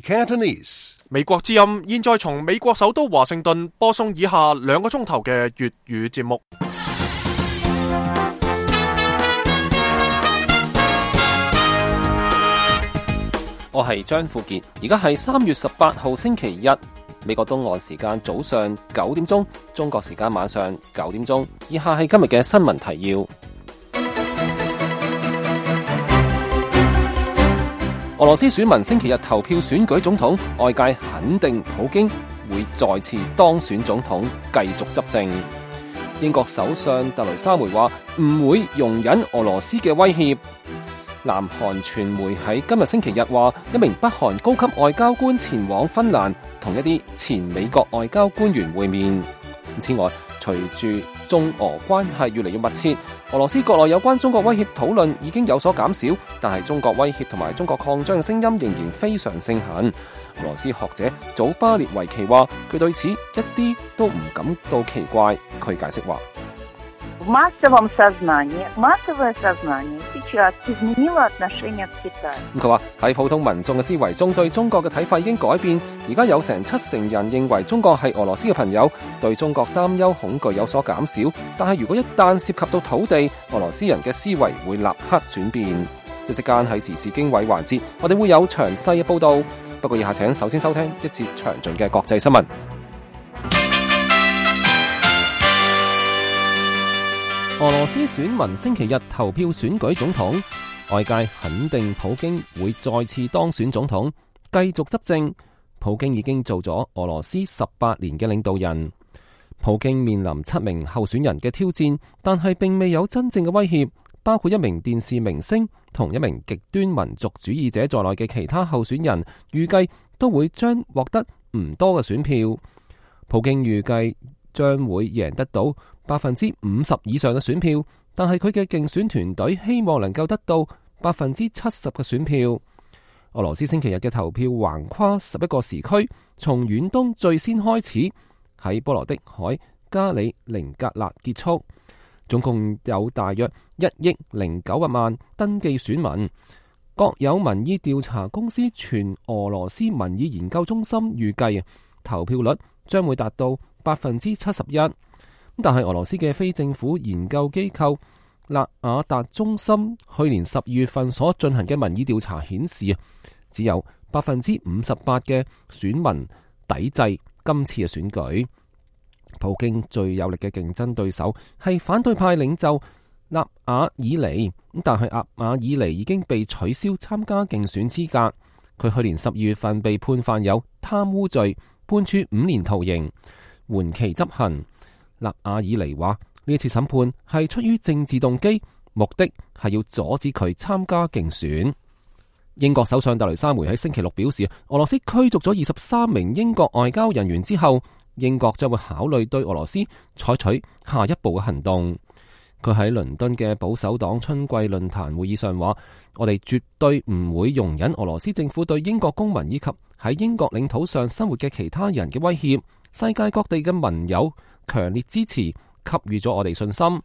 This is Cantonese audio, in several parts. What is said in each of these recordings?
Cantonese. 美國之音現在從美國首都華盛頓播送以下2個鐘頭嘅粵語節目。我係張富傑，而家係3月18號星期一，美國東岸時間早上9點鐘，中國時間晚上9點鐘。以下係今日嘅新聞提要。俄羅斯選民星期日投票選舉總統，外界肯定普京會再次當選總統，繼續執政。英國首相特雷莎梅話唔會容忍俄羅斯嘅威脅。南韓傳媒喺今日星期日話，一名北韓高級外交官前往芬蘭，同一啲前美國外交官員會面。此外，隨住中俄關係越嚟越密切，俄羅斯國內有關中國威脅討論已經有所減少，但係中國威脅同埋中國擴張嘅聲音仍然非常盛行。俄羅斯學者祖巴列維奇話，佢對此一啲都唔感到奇怪。佢解釋話，массовое сознание сейчас изменило отношение к Китаю。佢話喺普通民眾嘅思維中，對中國嘅睇法已經改變。而家有成70%人認為中國係俄羅斯嘅朋友，對中國擔憂恐懼有所減少。但係如果一旦涉及到土地，俄羅斯人嘅思維會立刻轉變。一時間喺時事經緯環節，我哋會有詳細嘅報導。不過以下請首先收聽一節詳盡嘅國際新聞。俄羅斯選民星期日投票選舉總統，外界肯定普京會再次當選總統，繼續執政。普京已經做咗俄羅斯18年嘅領導人。普京面臨7名候選人嘅挑戰，但係並未有真正嘅威脅，包括一名電視明星同一名極端民族主義者在內嘅其他候選人，預計都會將獲得唔多嘅選票。普京預計將會贏得到50%以上嘅選票，但係佢嘅競選團隊希望能夠得到70%嘅選票。俄羅斯星期日嘅投票橫跨11個時區，從遠東最先開始，喺波羅的海加里寧格勒結束。總共有大約1億900萬登記選民。國有民意調查公司全俄羅斯民意研究中心預計投票率將會達到71%。但係俄羅斯嘅非政府研究機構納瓦達中心去年12月份所進行嘅民意調查顯示，只有58%嘅選民抵制今次嘅選舉。普京最有力嘅競爭對手係反對派領袖納瓦爾尼，但係納瓦爾尼已經被取消參加競選資格。佢去年12月份被判犯有貪污罪，判處5年徒刑，緩期執行。納瓦爾尼話呢次審判係出於政治動機，目的係要阻止佢參加競選。英國首相特雷莎梅喺星期六表示，俄羅斯驅逐咗23名英國外交人員之後，英國將會考慮對俄羅斯採取下一步嘅行動。佢喺倫敦嘅保守黨春季論壇會議上話，我哋絕對唔會容忍俄羅斯政府對英國公民以及喺英國領土上生活嘅其他人嘅威脅。世界各地嘅盟友強烈支持，給予咗我哋信心。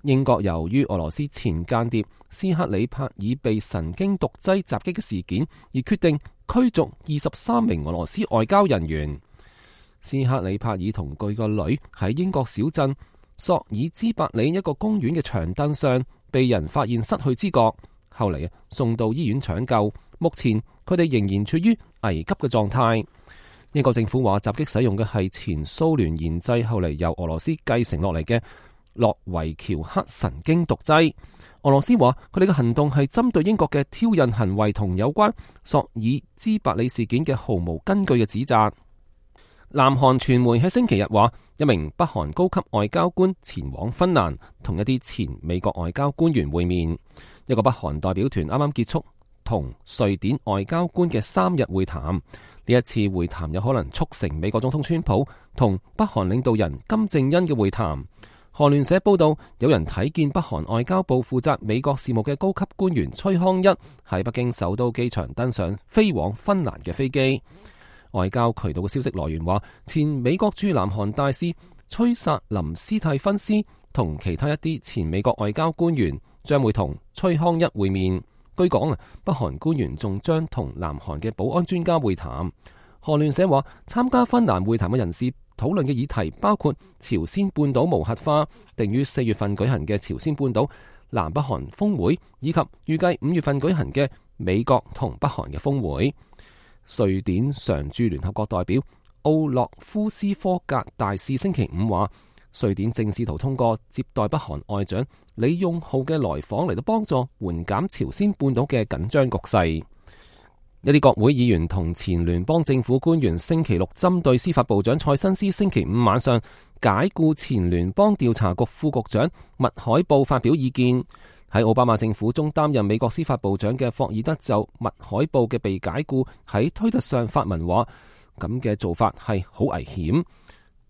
英國由於俄羅斯前間諜斯克里帕爾被神經毒劑襲擊嘅事件，而決定驅逐23名俄羅斯外交人員。斯克里帕爾同佢個女喺英國小鎮索爾茲伯里一個公園嘅長凳上被人發現失去知覺，後嚟送到醫院搶救，目前佢哋仍然處於危急嘅狀態。英國政府話襲擊使用嘅係前蘇聯研製，後嚟由俄羅斯繼承落嚟嘅諾維喬克神經毒劑。俄羅斯話佢哋嘅行動係針對英國嘅挑釁行為同有關索爾茲伯里事件嘅毫無根據嘅指責。南韓傳媒喺星期日話，一名北韓高級外交官前往芬蘭，同一啲前美國外交官員會面。一個北韓代表團啱啱結束同瑞典外交官嘅3日會談。呢一次會談有可能促成美國總統川普同北韓領導人金正恩嘅會談。韓聯社報道，有人睇見北韓外交部負責美國事務嘅高級官員崔康一喺北京首都機場登上飛往芬蘭嘅飛機。外交渠道嘅消息來源話，前美國駐南韓大使崔薩林斯蒂芬斯同其他一啲前美國外交官員將會同崔康一會面。據講北韓官員仲將同南韓嘅保安專家會談。韓聯社話，參加芬蘭會談嘅人士討論嘅議題包括朝鮮半島無核化、定於4月份舉行嘅朝鮮半島南北韓峰會，以及預計5月份舉行嘅美國同北韓嘅峰會。瑞典常駐聯合國代表奧洛夫斯科格大使星期五話，瑞典正試圖通過接待北韓外長李用浩嘅來訪嚟到幫助緩減朝鮮半島嘅緊張局勢。一啲國會議員同前聯邦政府官員星期六針對司法部長蔡新斯星期五晚上解僱前聯邦調查局副局長麥海布發表意見。喺奧巴馬政府中擔任美國司法部長嘅霍爾德就麥海布嘅被解僱喺推特上發文話，咁嘅做法係好危險。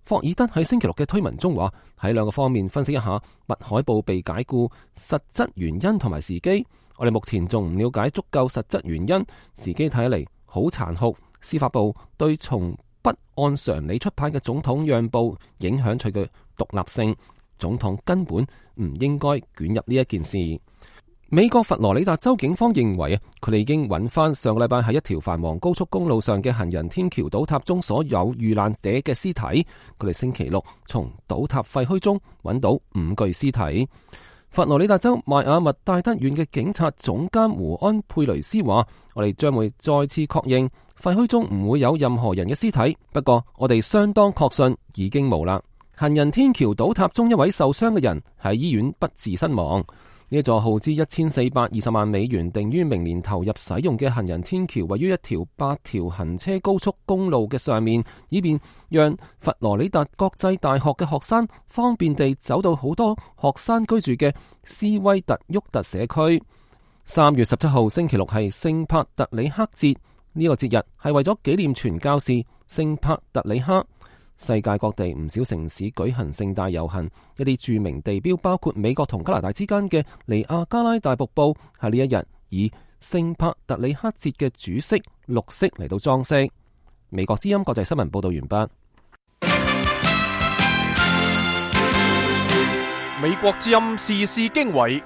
霍爾德喺星期六嘅推文中話，喺兩個方面分析一下麥海布被解僱實質原因同埋時機。我哋目前仲唔了解足夠實質原因，時機睇嚟好殘酷。司法部對從不按常理出牌嘅總統讓步，影響佢嘅獨立性。總統根本唔應該捲入呢一件事。美國佛羅里達州警方認為佢哋已經揾翻上個禮拜喺一條繁忙高速公路上嘅行人天橋倒塌中所有遇難者嘅屍體。佢哋星期六從倒塌廢墟中揾到5具屍體。佛羅里達州邁阿密戴德縣嘅警察總監胡安佩雷斯話，我哋將會再次確認廢墟中唔會有任何人嘅屍體，不過我哋相當確信已經冇啦。行人天橋倒塌中一位受傷嘅人喺醫院不治身亡。呢一座耗資1420萬美元，定於明年投入使用嘅行人天橋，位於一條8條行車高速公路嘅上面，以便讓佛羅里達國際大學嘅學生方便地走到好多學生居住嘅斯威特沃特社區。3月17號星期六係聖帕特里克節，呢個節日係為咗紀念傳教士聖帕特里克。世界各地唔少城市舉行盛大遊行，一啲著名地標包括美國同加拿大之間嘅尼亞加拉大瀑布，喺呢一日以聖帕特里克節嘅主色綠色嚟到裝飾。美國之音國際新聞報道完畢。美國之音時事經緯，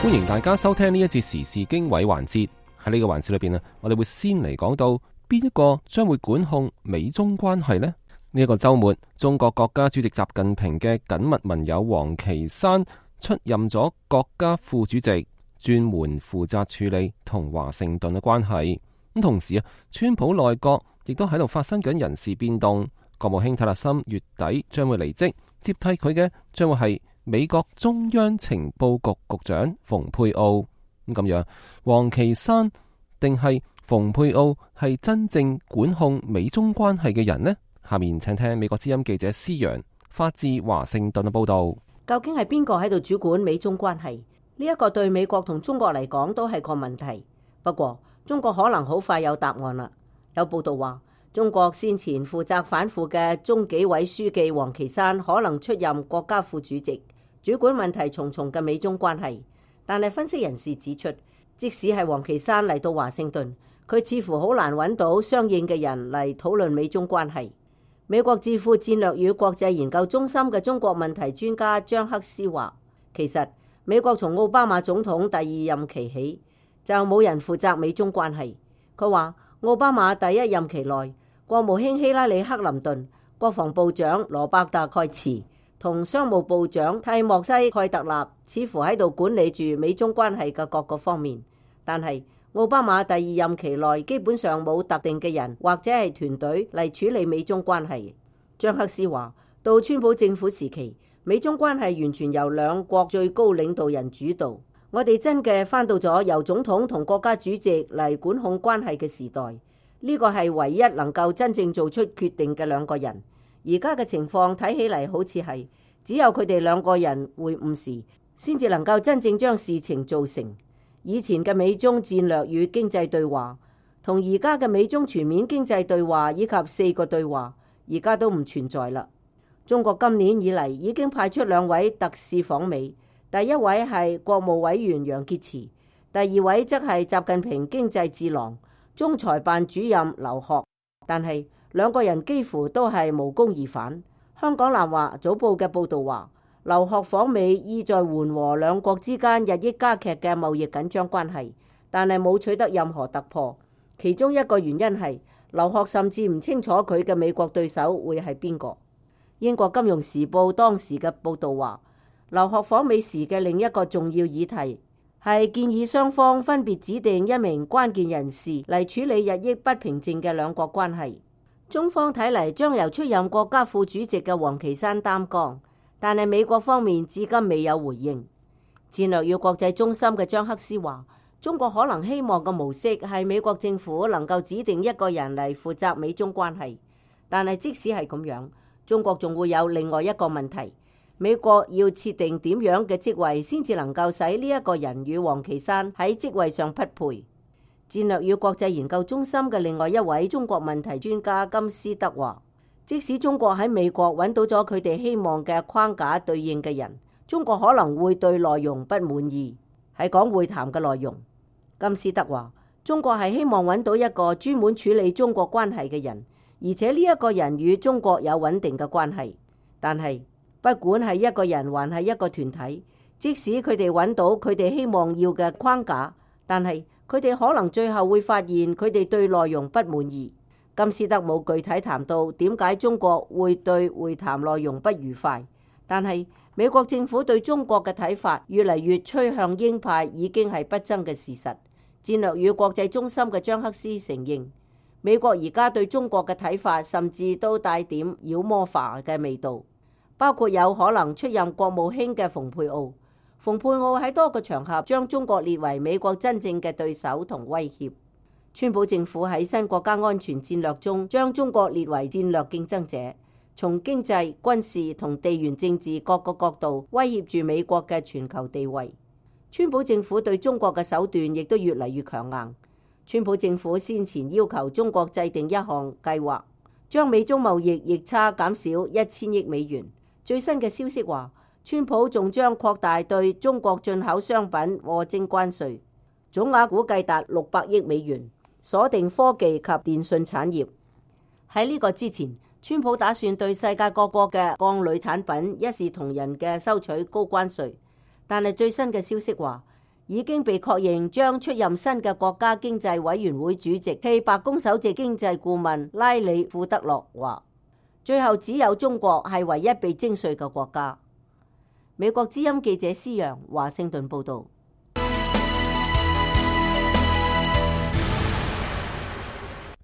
歡迎大家收聽呢一節時事經緯環節。喺呢個環節裏邊我哋會先嚟講到邊一個將會管控美中關係呢？呢一個週末，中國國家主席習近平嘅緊密盟友王岐山出任咗國家副主席，專門負責處理同華盛頓嘅關係。咁同時川普內閣亦都喺度發生緊人事變動。國務卿泰勒森月底將會離職，接替佢嘅將會係美國中央情報局局長蓬佩奧。咁樣，王岐山定係蓬佩奧係真正管控美中關係嘅人呢？下面請聽美國之音記者施洋發自華盛頓嘅報道。究竟係邊個喺度主管美中關係？呢一個對美國同中國嚟講都係個問題。不過中國可能好快有答案啦。有報道話，中國先前負責反腐嘅中紀委書記王岐山可能出任國家副主席，主管問題重重嘅美中關係。但係分析人士指出，即使係王岐山嚟到華盛頓，佢似乎好難揾到相應嘅人嚟討論美中關係。美國智庫戰略與國際研究中心嘅中國問題專家張克斯話，其實美國從奧巴馬總統第二任期起就冇人負責美中關係。佢話奧巴馬第一任期內，國務卿希拉里克林頓、國防部長羅伯特蓋茨同商務部長蒂莫西蓋特納似乎喺度管理住美中關係嘅各個方面，但係奧巴馬第二任期內基本上冇特定嘅人或者係團隊嚟處理美中關係。張克斯話，到川普政府時期，美中關係完全由兩國最高領導人主導。我哋真嘅返到咗由總統同國家主席嚟管控關係嘅時代。呢個係唯一能夠真正做出決定嘅兩個人。而家嘅情況睇起嚟好似係只有佢哋兩個人會晤時，先至能夠真正將事情做成。以前嘅美中戰略與經濟對話，同而家嘅美中全面經濟對話以及4個對話，而家都唔存在啦。中國今年以嚟已經派出2位特使訪美，第一位係國務委員楊潔篪，第二位則係習近平經濟智囊、中財辦主任劉鶴。但係2個人幾乎都係無功而返。香港南華早報嘅報導話，劉鶴訪美意在緩和兩國之間日益加劇嘅貿易緊張關係，但係冇取得任何突破。其中一個原因係劉鶴甚至唔清楚佢嘅美國對手會係邊個。英國金融時報當時嘅報導話，劉鶴訪美時嘅另一個重要議題係建議雙方分別指定一名關鍵人士嚟處理日益不平靜嘅兩國關係。中方睇嚟將由出任國家副主席嘅王岐山擔綱，但係美國方面至今未有回應。戰略與國際中心嘅張克斯話，中國可能希望嘅模式係美國政府能夠指定一個人嚟負責美中關係，但係即使係咁樣，中國仲會有另外一個問題，美國要設定點樣嘅職位先至能夠使呢一個人與王岐山喺職位上匹配。戰略與國際研究中心嘅另外一位中國問題專家金斯德話，即使中國喺美國揾到咗佢哋希望嘅框架對應嘅人，中國可能會對內容不滿意。係講會談嘅內容，金斯德話，中國係希望揾到一個專門處理中國關係嘅人，而且呢一個人與中國有穩定嘅關係。但係不管係一個人還係一個團體，即使佢哋揾到佢哋希望要嘅框架，但係佢哋可能最後會發現佢哋對內容不滿意。金斯德冇具體談到點解中國會對會談內容不愉快，但係美國政府對中國嘅睇法越嚟越趨向鷹派已經係不爭嘅事實。戰略與國際中心嘅張克斯承認，美國而家對中國嘅睇法甚至都帶點妖魔化嘅味道，包括有可能出任國務卿嘅蓬佩奧。蓬佩奧喺多個場合將中國列為美國真正嘅對手同威脅。川普政府喺新國家安全戰略中將中國列為戰略競爭者，從經濟、軍事同地緣政治各個角度威脅住美國嘅全球地位。川普政府對中國嘅手段亦都越嚟越強硬。川普政府先前要求中國制定一項計劃，將美中貿易逆差減少1000億美元。最新嘅消息話，川普仲將擴大對中國進口商品課徵關稅，總額估計達600億美元，鎖定科技及電信產業。喺呢個之前，川普打算對世界各國嘅鋼鋁產品一視同仁嘅收取高關稅，但係最新嘅消息話，已經被確認將出任新嘅國家經濟委員會主席暨白宮首席經濟顧問拉里庫德洛話，最後只有中國係唯一被徵稅嘅國家。美國之音記者施陽華盛頓報道。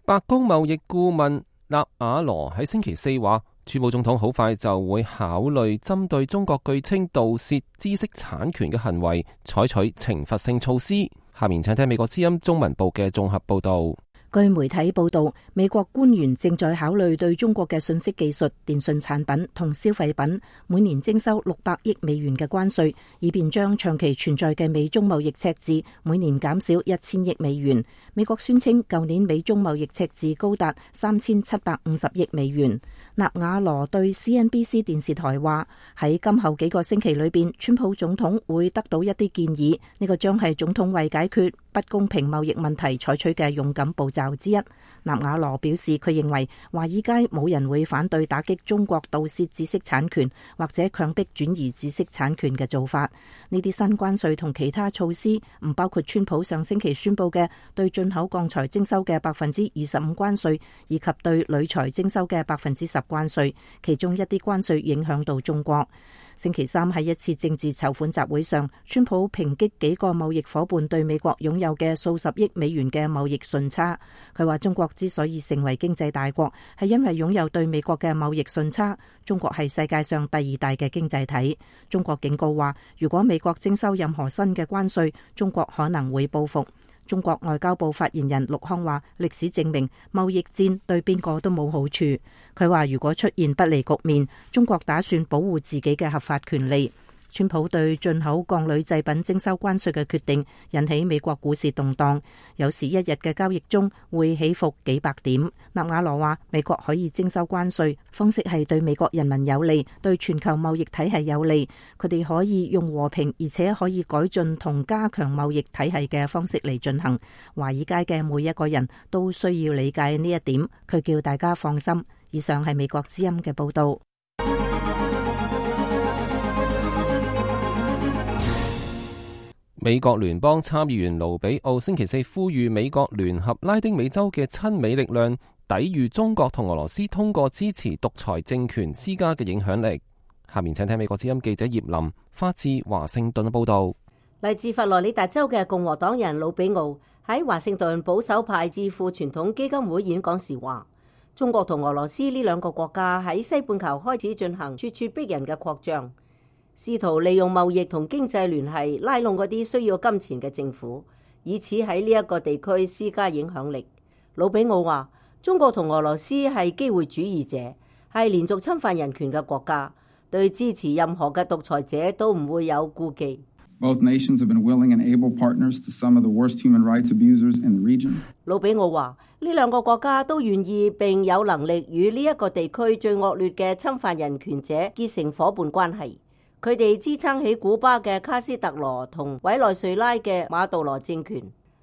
白宮貿易顧問納瓦羅喺星期四話，川普總統好快就會考慮針對中國據稱盜竊知識產權嘅行為採取懲罰性措施。下面請聽美國之音中文部嘅綜合報道。據媒體報道，美國官員正在考慮對中國嘅信息技術、電信產品同消費品每年徵收600億美元嘅關稅，以便將長期存在嘅美中貿易赤字每年減少1000億美元。美國宣稱舊年美中貿易赤字高達3750億美元。納瓦羅對 CNBC 電視台話，喺今後幾個星期裏邊，川普總統會得到一啲建議，呢個將係總統為解決不公平貿易問題採取嘅勇敢步驟之一。納瓦羅表示，佢認為華爾街冇人會反對打擊中國盜竊知識產權或者強迫轉移知識產權嘅做法。呢啲新關稅同其他措施唔包括川普上星期宣布嘅對進口鋼材徵收嘅25%關稅，以及對鋁材徵收嘅10%關稅，其中一啲關稅影響到中國。星期三喺一次政治籌款集會上，川普抨擊幾個貿易夥伴對美國擁有嘅數十億美元嘅貿易順差。佢話中國之所以成為經濟大國，係因為擁有對美國嘅貿易順差。中國係世界上第2大嘅經濟體。中國警告話，如果美國徵收任何新嘅關稅，中國可能會報復。中國外交部發言人陸康話，歷史證明貿易戰對邊個都冇好處。佢話如果出現不利局面，中國打算保護自己嘅合法權利。川普對進口鋼鋁製品徵收關稅嘅決定引起美國股市動盪，有時一日嘅交易中會起伏幾百點。納瓦羅話，美國可以徵收關稅，方式係對美國人民有利，對全球貿易體系有利。佢哋可以用和平而且可以改進同加強貿易體系嘅方式嚟進行。華爾街嘅每一個人都需要理解呢一點。佢叫大家放心。以上係美國之音嘅報道。美國聯邦參議員盧比奧星期四呼籲美國聯合拉丁美洲嘅親美力量，抵禦中國同俄羅斯通過支持獨裁政權施加嘅影響力。下面請聽美國之音記者葉林發自華盛頓嘅報道。嚟自佛羅里達州嘅共和黨人魯比奧喺華盛頓保守派智庫傳統基金會演講時話，中國同俄羅斯呢兩個國家喺西半球開始進行咄咄逼人嘅擴張，試圖利用貿易同經濟聯繫拉攏嗰啲需要金錢嘅政府，以此喺呢一個地區施加影響力。魯比奧話，中國同俄羅斯係機會主義者，係連續侵犯人權嘅國家，對支持任何嘅獨裁者都唔會有顧忌。Both nations have been willing and able partners to some of the worst human rights abusers in the region. 魯比奧話，呢兩個國家都願意並有能力與呢一個地區最惡劣嘅侵犯人權者結成夥伴關係。佢哋支撐起古巴嘅卡斯特羅同委內瑞拉嘅馬杜羅政權。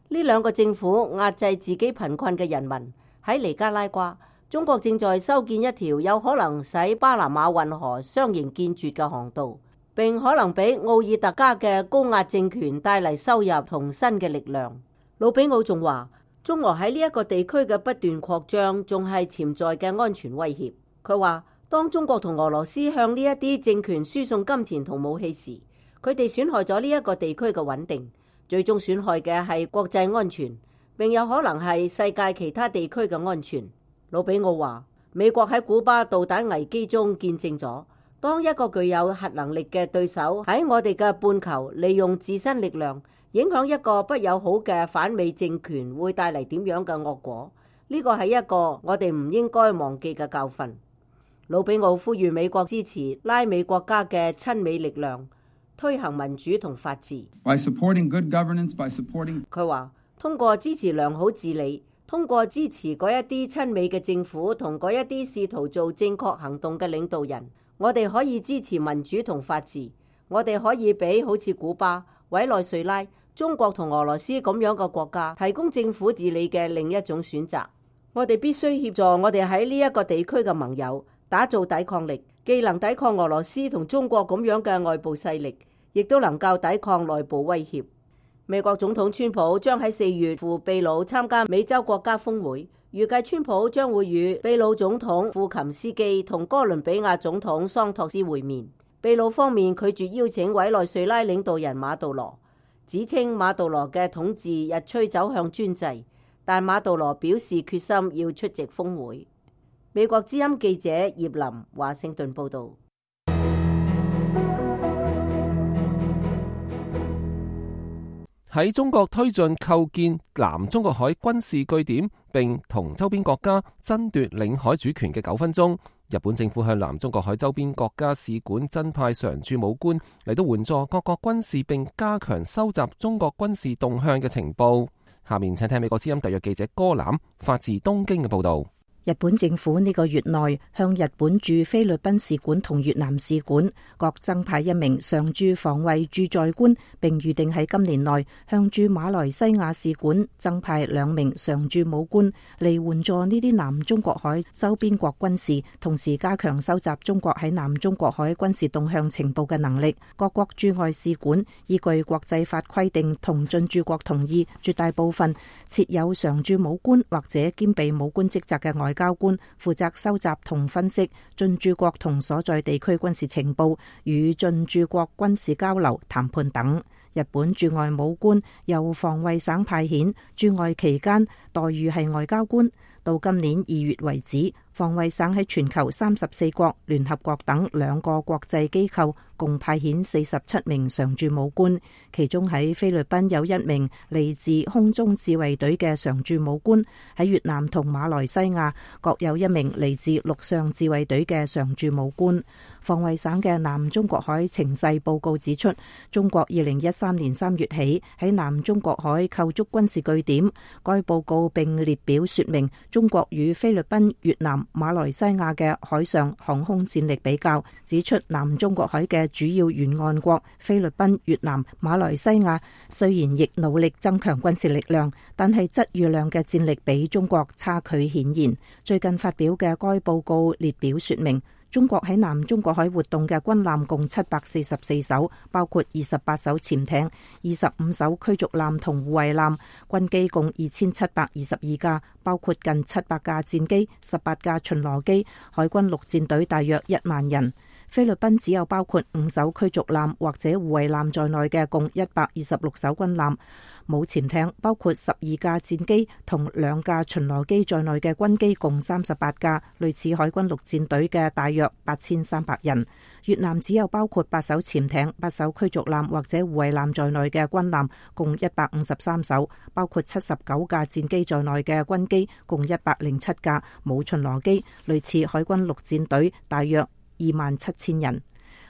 呢兩個政府壓制自己貧困嘅人民。喺尼加拉瓜，中國正在修建一條有可能使巴拿馬運河相形見絀嘅航道，並可能俾奧爾特加嘅高壓政權帶嚟收入同新嘅力量。魯比奧仲話，中俄喺呢一個地區嘅不斷擴張仲係潛在嘅安全威脅。佢話，當中國同俄羅斯向呢一啲政權輸送金錢同武器時，佢哋損害咗呢一個地區嘅穩定，最終損害嘅係國際安全，並有可能係世界其他地區嘅安全。魯比奧話，美國喺古巴導彈危機中見證咗，當一個具有核能力嘅對手喺我哋嘅半球利用自身力量影響一個不友好嘅反美政權，會帶嚟點樣嘅惡果。呢個係一個我哋唔應該忘記嘅教訓。魯比奧呼籲美國支持拉美國家嘅親美力量，推行民主同法治。佢話，通過支持良好治理，通過支持嗰一啲親美嘅政府同嗰一啲試圖做正確行動嘅領導人，我哋可以支持民主同法治。我哋可以俾好似古巴、委內瑞拉、中國同俄羅斯咁樣嘅國家提供政府治理嘅另一種選擇。我哋必須協助我哋喺呢一個地區嘅盟友打造抵抗力，既能抵抗俄羅斯同中國咁樣嘅外部勢力，亦都能夠抵抗內部威脅。美國總統川普將喺4月赴秘魯參加美洲國家峰會，預計川普將會與秘魯總統庫琴斯基同哥倫比亞總統桑托斯會面。秘魯方面拒絕邀請委內瑞拉領導人馬杜羅，指稱馬杜羅嘅統治日趨走向專制，但馬杜羅表示決心要出席峰會。美國之音記者葉林華盛頓報道。喺中國推進構建南中國海軍事據點，並同周邊國家爭奪領海主權嘅糾紛中，日本政府向南中國海周邊國家使館增派常駐武官嚟到援助各國軍事，並加強收集中國軍事動向嘅情報。下面請聽美國之音特約記者戈南發自東京嘅報道。日本政府呢個月內向日本駐菲律賓使館同越南使館各增派1名常駐防衛駐在官，並預定喺今年內向駐馬來西亞使館增派2名常駐武官嚟援助呢啲南中國海周邊國軍事，同時加強收集中國喺南中國海軍事動向情報嘅能力。各國駐外使館依據國際法規定同進駐國同意，絕大部分設有常駐武官或者兼備武官職責嘅外交官，負責收集同分析進駐國同所在地區軍事情報，與進駐國軍事交流、談判等。日本駐外武官由防衛省派遣，駐外期間待遇係外交官。到今年2月為止，防衛省喺全球34國、聯合國等2個國際機構共派遣47名常駐武官，其中喺菲律賓有1名嚟自空中自衛隊嘅常駐武官，喺越南同馬來西亞各有1名嚟自陸上自衛隊嘅常駐武官。防衛省嘅南中國海情勢報告指出，中國2013年3月起喺南中國海構築軍事據點。該報告並列表說明中國與菲律賓、越南、馬來西亞嘅海上航空戰力比較，指出南中國海嘅主要沿岸國菲律賓、越南、馬來西亞雖然亦努力增強軍事力量，但係質與量嘅戰力比中國差距顯然。最近發表嘅該報告列表說明，中國喺南中國海活動嘅軍艦共744艘，包括28艘潛艇、25艘驅逐艦同護衛艦，軍機共2722架，包括近700架戰機、18架巡邏機，海軍陸戰隊大約1萬人。菲律賓只有包括5艘驅逐艦或者護衛艦在內嘅共126艘軍艦，冇潛艇，包括12架戰機同2架巡邏機在內嘅軍機共38架，類似海軍陸戰隊嘅大約8300人。越南只有包括8艘潛艇、8艘驅逐艦或者護衛艦在內嘅軍艦共153艘，包括79架戰機在內嘅軍機共107架，冇巡邏機，類似海軍陸戰隊大約27000人。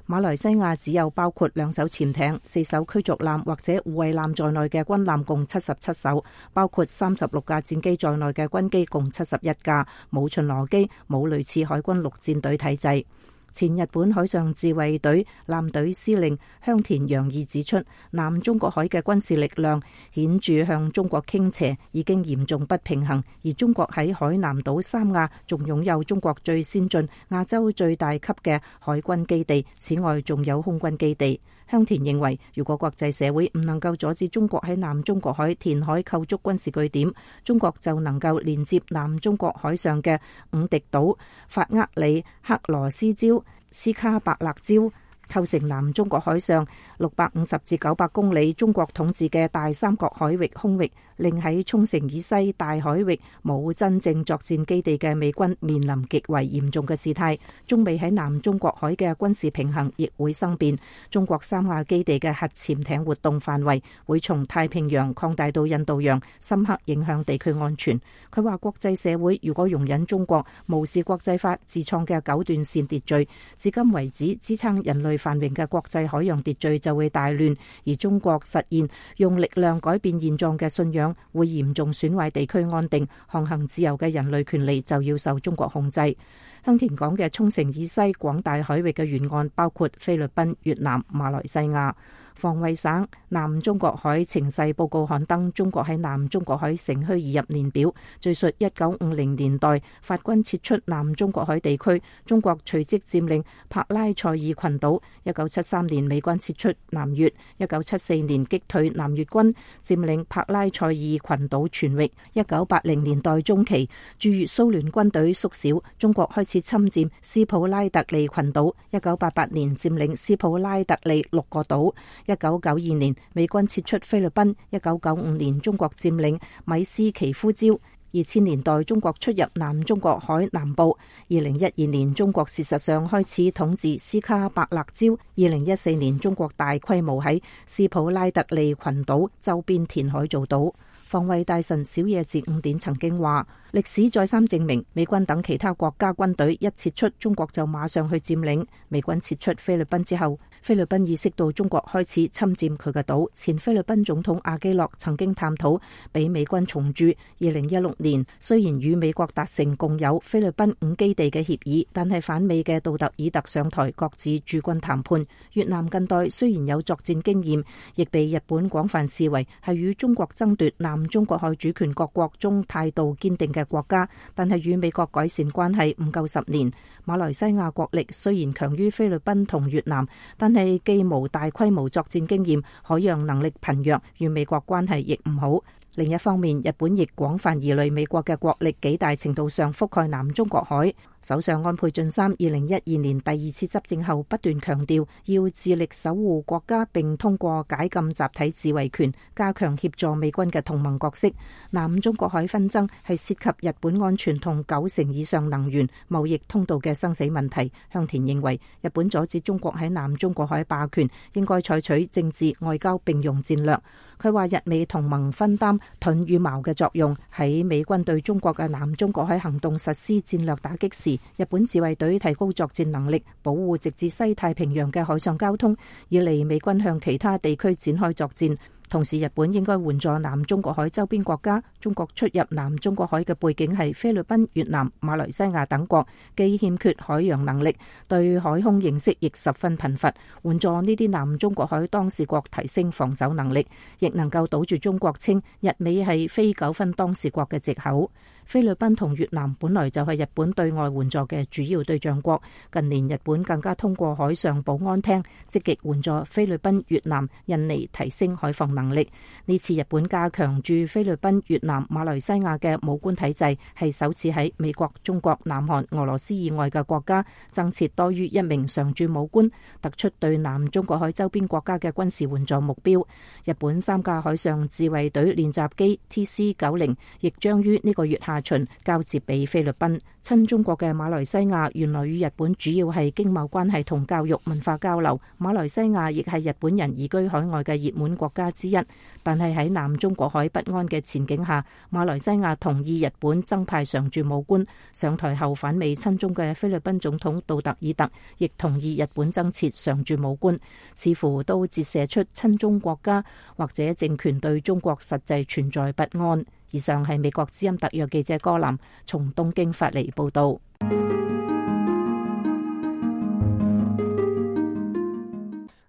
馬來西亞只有包括2艘潛艇、4艘驅逐艦或者護衛艦在內嘅軍艦共77艘，包括36架戰機在內嘅軍機共71架，冇巡邏機，冇類似海軍陸戰隊體制。前日本海上自衛隊艦隊司令香田洋二指出，南中國海嘅軍事力量顯著向中國傾斜，已經嚴重不平衡。而中國喺海南島三亞仲擁有中國最先進、亞洲最大級嘅海軍基地，此外仲有空軍基地。香田認為，如果國際社會唔能夠阻止中國喺南中國海填海構築軍事據點，中國就能夠連接南中國海上嘅五敵島、法厄里克羅斯礁、斯卡伯勒礁，構成南中國海上650至900公里中國統治嘅大三角海域空域，令喺沖繩以西大海域冇真正作戰基地嘅美軍面臨極為嚴重嘅事態。中美喺南中國海嘅軍事平衡亦會生變。中國三亞基地嘅核潛艇活動範圍會從太平洋擴大到印度洋，深刻影響地區安全。佢話國際社會如果容忍中國無視國際法自創嘅九段線秩序，至今為止支撐人類繁榮嘅國際海洋秩序就會大亂，而中國實現用力量改變現狀嘅信仰會嚴重損壞地區安定，航行自由嘅人類權利就要受中國控制。香田講嘅沖繩以西廣大海域嘅沿岸包括菲律賓、越南、馬來西亞。防衛省南中國海情勢報告刊登中國喺南中國海乘虛而入年表，敘述1950年代法軍撤出南中國海地區，中國隨即佔領柏拉塞爾群島。1973年美軍撤出南越，1974年擊退南越軍，佔領柏拉塞爾群島全域。1980年代中期駐越蘇聯軍隊縮小，中國開始侵佔斯普拉特利群島。1988年佔領斯普拉特利6個島。1992年美軍撤出菲律賓，1995年中國佔領米斯奇夫礁。2000年代中國出入南中國海南部。2012年中國事實上開始統治斯卡伯勒礁。2014年中國大規模喺斯普拉特利群島周邊填海造島。防衛大臣小野寺五典曾經話，歷史再三證明，美軍等其他國家軍隊一撤出，中國就馬上去佔領。美軍撤出菲律賓之後，菲律賓意識到中國開始侵佔佢嘅島。前菲律賓總統阿基諾曾經探討俾美軍重駐。2016年雖然與美國達成共有菲律賓5基地嘅協議，但係反美嘅杜特爾特上台，各自駐軍談判。越南近代雖然有作戰經驗，亦被日本廣泛視為係與中國爭奪南中國海主權各國中態度堅定嘅國家，但係與美國改善關係唔夠10年。馬來西亞國力雖然強於菲律賓同越南，但係既無大規模作戰經驗，海洋能力貧弱，與美國關係亦唔好。另一方面，日本亦廣泛疑慮美國嘅國力幾大程度上覆蓋南中國海。首相安倍晉三2012年第2次執政後不斷強調要致力守護國家，並通過解禁集體自衛權加強協助美軍嘅同盟角色。南中國海紛爭係涉及日本安全同90%以上能源貿易通道嘅生死問題。香田認為日本阻止中國喺南中國海霸權應該採取政治外交並用戰略。佢話日美同盟分擔盾與矛嘅作用，喺美軍對中國嘅南中國海行動實施戰略打擊時，日本自衛隊提高作戰能力，保護直至西太平洋嘅海上交通，以利美軍向其他地區展開作戰。同時，日本應該援助南中國海周邊國家。中國出入南中國海嘅背景係菲律賓、越南、馬來西亞等國，既欠缺海洋能力，對海空認識亦十分貧乏。援助呢啲南中國海當事國提升防守能力，亦能夠堵住中國稱日美係非糾紛當事國嘅藉口。菲律賓同越南本來就係日本對外援助嘅主要對象國，近年日本更加通過海上保安廳積極援助菲律賓、越南、印尼提升海防能力。呢次日本加強駐菲律賓、越南、馬來西亞嘅武官體制，係首次喺美國、中國、南韓、俄羅斯以外嘅國家增設多於1名常駐武官，突出對南中國海周邊國家嘅軍事援助目標。日本3架海上自衛隊練習機 TC-90 亦將於呢個月下旬交接俾菲律賓。親中國嘅馬來西亞原來與日本主要係經貿關係同教育文化交流，馬來西亞亦係日本人移居海外嘅熱門國家之一。但係喺南中國海不安嘅前景下，馬來西亞同意日本增派常駐武官。上台後反美親中嘅菲律賓總統杜特爾特亦同意日本增設常駐武官，似乎都折射出親中國家或者政權對中國實際存在不安。以上係美國之音特約記者柯林從東京發嚟報道。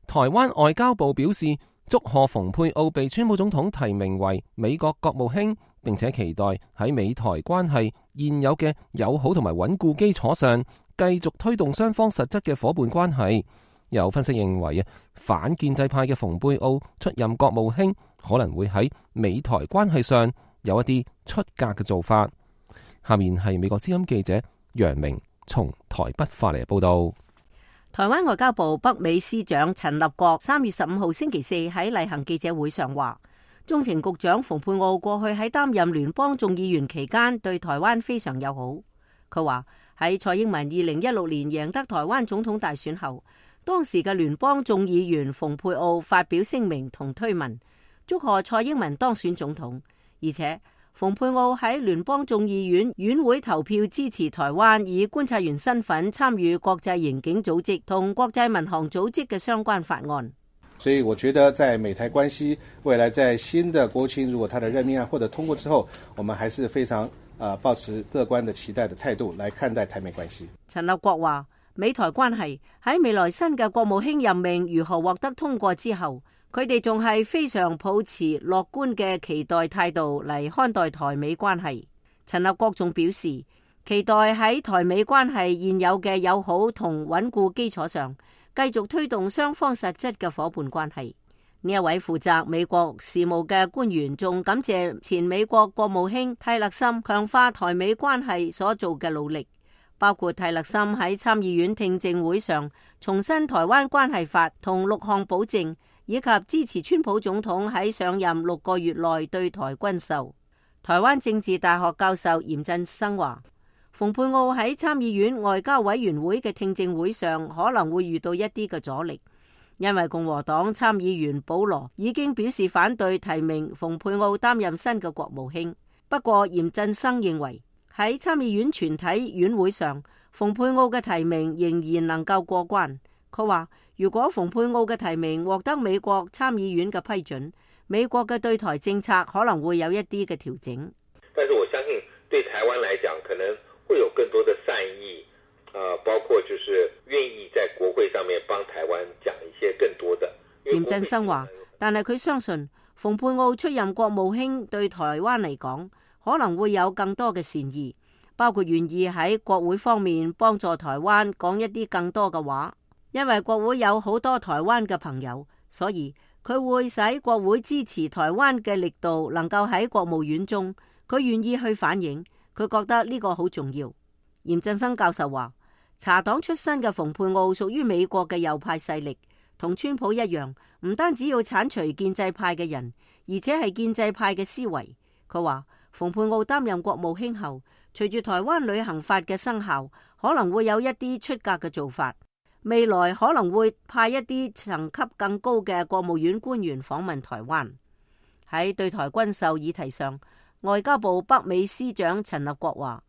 台灣外交部表示，祝賀蓬佩奧被川普總統提名為美國國務卿，並且期待喺美台關係現有嘅友好同埋穩固基礎上，繼續推動雙方實質嘅夥伴關係。有分析認為反建制派嘅蓬佩奧出任國務卿，可能會喺美台關係上有一啲出格嘅做法。下面係美國之音記者楊明從台北發嚟報道。台灣外交部北美司長陳立國3月15號星期四喺例行記者會上話，中情局長蓬佩奧過去喺擔任聯邦眾議員期間對台灣非常友好。佢話喺蔡英文2016年贏得台灣總統大選後，當時嘅聯邦眾議員蓬佩奧發表聲明同推文，祝賀蔡英文當選總統，而且蓬佩奧喺聯邦眾議院院會投票支持台灣以觀察員身份參與國際刑警組織同國際民航組織嘅相關法案。所以我覺得在美台關係未來在新的國務卿如果他的任命案獲得通過之後，我們還是非常抱持樂觀的期待的態度來看待台美關係。陳立國話，美台關係喺未來新嘅國務卿任命如何獲得通過之後，佢哋仲係非常抱持樂觀嘅期待態度嚟看待台美關係。陳立國仲表示，期待喺台美關係現有嘅友好同穩固基礎上，繼續推動雙方實質嘅夥伴關係。呢一位負責美國事務嘅官員仲感謝前美國國務卿泰勒森強化台美關係所做嘅努力，包括泰勒森喺參議院聽證會上重申台灣關係法同6項保證，以及支持川普總統喺上任6個月內對台軍售。台灣政治大學教授嚴振生話，蓬佩奧喺參議院外交委員會嘅聽證會上可能會遇到一啲嘅阻力，因為共和黨參議員保羅已經表示反對提名蓬佩奧擔任新嘅國務卿。不過嚴振生認為喺參議院全體院會上，蓬佩奧嘅提名仍然能夠過關。佢話，如果蓬佩奧嘅提名獲得美國參議院嘅批准，美國嘅對台政策可能會有一啲嘅調整。但是我相信對台灣來講，可能會有更多的善意，包括就是願意在國會上面幫台灣講一些更多的。嚴振生話，但係佢相信蓬佩奧出任國務卿對台灣嚟講，可能會有更多嘅善意，包括願意喺國會方面幫助台灣講一啲更多嘅話。因為國會有好多台灣嘅朋友，所以佢會使國會支持台灣嘅力度能夠喺國務院中，佢願意去反映，佢覺得呢個好重要。嚴振生教授話，茶黨出身嘅蓬佩奧屬於美國嘅右派勢力，同川普一樣，唔單止要剷除建制派嘅人，而且係建制派嘅思維。佢話蓬佩奧擔任國務卿後，隨住台灣旅行法嘅生效，可能會有一啲出格嘅做法。未來可能會派一啲層級更高嘅國務院官員訪問台灣。喺對台軍售議題上，外交部北美司長陳立國話，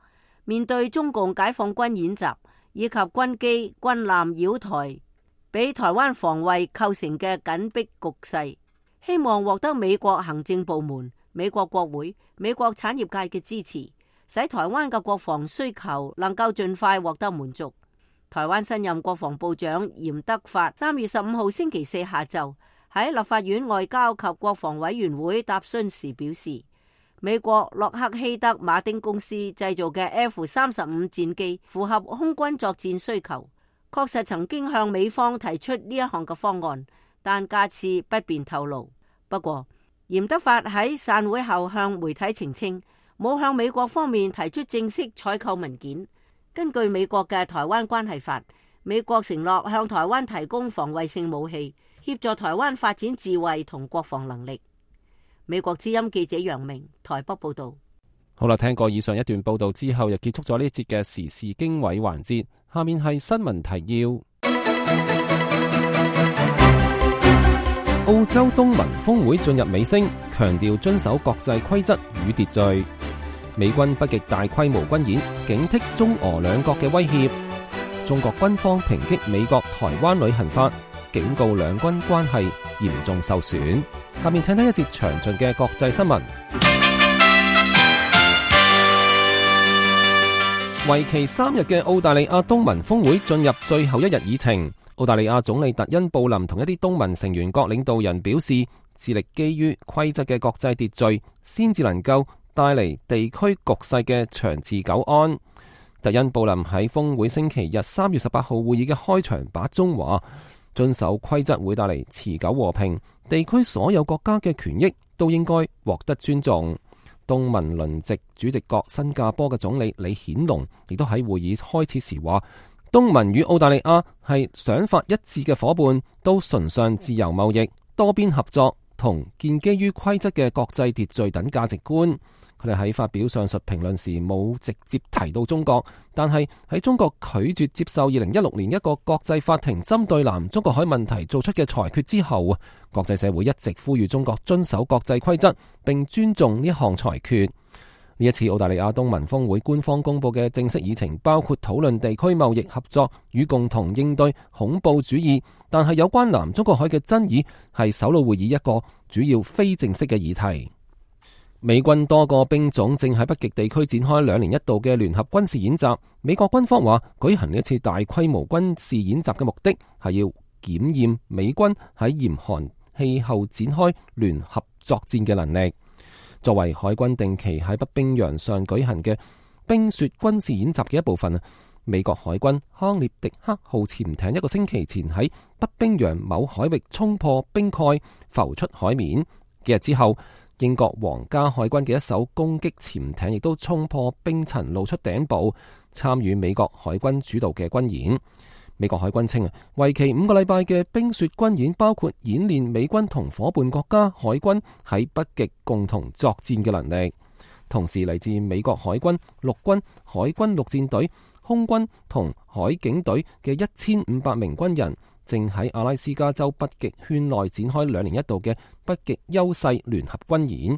面對中共解放軍演習以及軍機軍艦繞台，俾台灣防衛構成嘅緊迫局勢，希望獲得美國行政部門、美國國會、美國產業界嘅支持，使台灣嘅國防需求能夠盡快獲得滿足。台灣新任國防部長嚴德發3月15號星期四下晝喺立法院外交及國防委員會答詢時表示，美國洛克希德馬丁公司製造嘅 F-35戰機符合空軍作戰需求，確實曾經向美方提出呢一項嘅方案，但架次不便透露。不過嚴德發喺散會後向媒體澄清，冇向美國方面提出正式採購文件。根據美國嘅台灣關係法，美國承諾向台灣提供防衛性武器，協助台灣發展自衛同國防能力。美國之音記者楊明台北報道。好啦，聽過以上一段報道之後，又結束咗呢節嘅時事經緯環節。下面係新聞提要。澳洲東盟峰會進入尾聲，強調遵守國際規則與秩序。美軍北極大規模軍演，警惕中俄兩國嘅威脅。中國軍方抨擊美國台灣旅行法，警告兩軍關係嚴重受損。下面請睇一節詳盡嘅國際新聞。為期3日嘅澳大利亞東盟峰會進入最後一日議程。澳大利亞總理特恩布林同一啲東盟成員國領導人表示，致力基於規則嘅國際秩序，先至能夠帶嚟地區局勢嘅長治久安。特恩布林喺峰會星期日3月18號會議嘅開場白中話，遵守規則會帶嚟持久和平，地區所有國家嘅權益都應該獲得尊重。東盟輪值主席國新加坡嘅總理李顯龍亦都喺會議開始時話，東盟與澳大利亞係想法一致嘅夥伴，都崇尚自由貿易、多邊合作同建基於規則嘅國際秩序等價值觀。佢哋喺發表上述評論時冇直接提到中國，但係喺中國拒絕接受2016年一個國際法庭針對南中國海問題做出嘅裁決之後，國際社會一直呼籲中國遵守國際規則並尊重呢項裁決。呢一次澳大利亞東盟峰會官方公布嘅正式議程包括討論地區貿易合作與共同應對恐怖主義，但係有關南中國海嘅爭議係首腦會議一個主要非正式嘅議題。美軍多個兵種正喺北極地區展開2年一度嘅聯合軍事演習。美國軍方話，舉行呢一次大規模軍事演習嘅目的係要檢驗美軍喺嚴寒氣候展開聯合作戰嘅能力。作為海軍定期喺北冰洋上舉行嘅冰雪軍事演習嘅一部分，美國海軍康涅狄克號潛艇一個星期前喺北冰洋某海域衝破冰蓋，浮出海面。幾日之後，英國皇家海軍嘅一艘攻擊潛艇亦都衝破冰層露出頂部，參與美國海軍主導嘅軍演。美國海軍稱，為期5個禮拜嘅冰雪軍演包括演練美軍同伙伴國家海軍喺北極共同作戰嘅能力。同時，嚟自美國海軍、陸軍、海軍陸戰隊、空軍同海警隊嘅1500名軍人正喺阿拉斯加州北極圈內展開2年一度嘅北極優勢聯合軍演。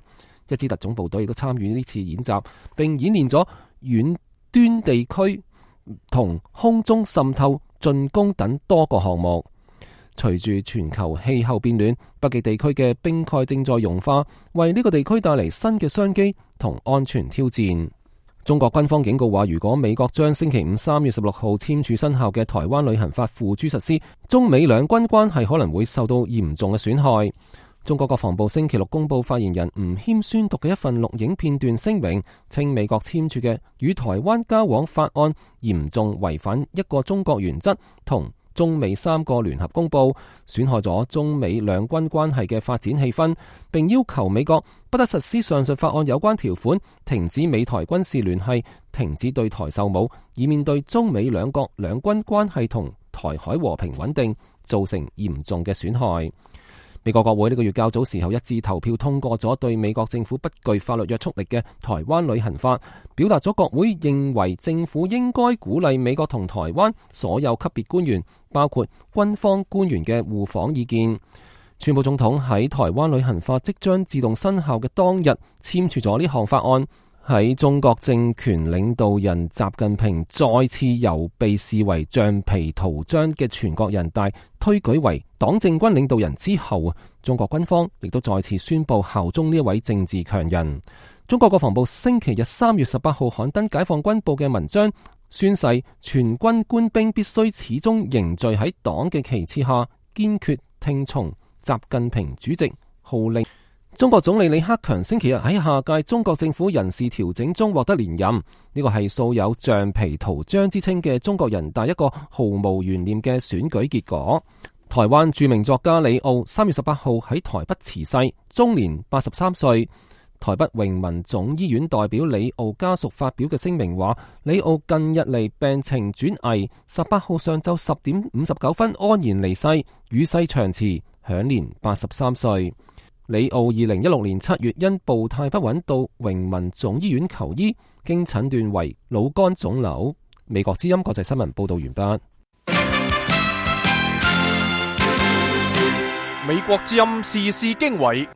一支特種部隊亦都參與呢次演習，並演練咗遠端地區同空中滲透、進攻等多個項目。隨住全球氣候變暖，北極地區嘅冰蓋正在融化，為呢個地區帶嚟新嘅商機同安全挑戰。中國軍方警告話，如果美國將星期五3月16號簽署生效嘅台灣旅行法付諸實施，中美兩軍關係可能會受到嚴重嘅損害。中國國防部星期六公布發言人吳謙宣讀嘅一份錄影片段聲明，稱美國簽署嘅與台灣交往法案嚴重違反一個中國原則同中美3個聯合公報，損害咗中美兩軍關係嘅發展氣氛，並要求美國不得實施上述法案有關條款，停止美台軍事聯繫，停止對台售武，以免對中美兩國兩軍關係同台海和平穩定造成嚴重嘅損害。美國國會呢個月較早時候一致投票通過咗對美國政府不具法律約束力嘅台灣旅行法，表達咗國會認為政府應該鼓勵美國同台灣所有級別官員，包括軍方官員嘅互訪意見。川普總統喺台灣旅行法即將自動生效嘅當日簽署咗呢項法案。喺中國政權領導人習近平再次由被視為橡皮圖章嘅全國人大推舉為黨政軍領導人之後，中國軍方亦都再次宣布效忠呢一位政治強人。中國國防部星期日3月18號刊登解放軍報嘅文章，宣誓全軍官兵必須始終凝聚喺黨嘅旗幟下，堅決聽從習近平主席號令。中國總理李克強星期日喺下屆中國政府人事調整中獲得連任，呢個係素有橡皮圖章之稱嘅中國人大一個毫無懸念嘅選舉結果。台灣著名作家李奧3月18號喺台北辭世，終年83歲。台北榮民總醫院代表李奧家屬發表嘅聲明話，李奧近日嚟病情轉危，18號上晝10點59分安然離世，與世長辭，享年83歲。李奧2016年7月因步態不穩到榮民總醫院求醫，經診斷為腦幹腫瘤。美國之音國際新聞報道完畢。美國之音時事經緯，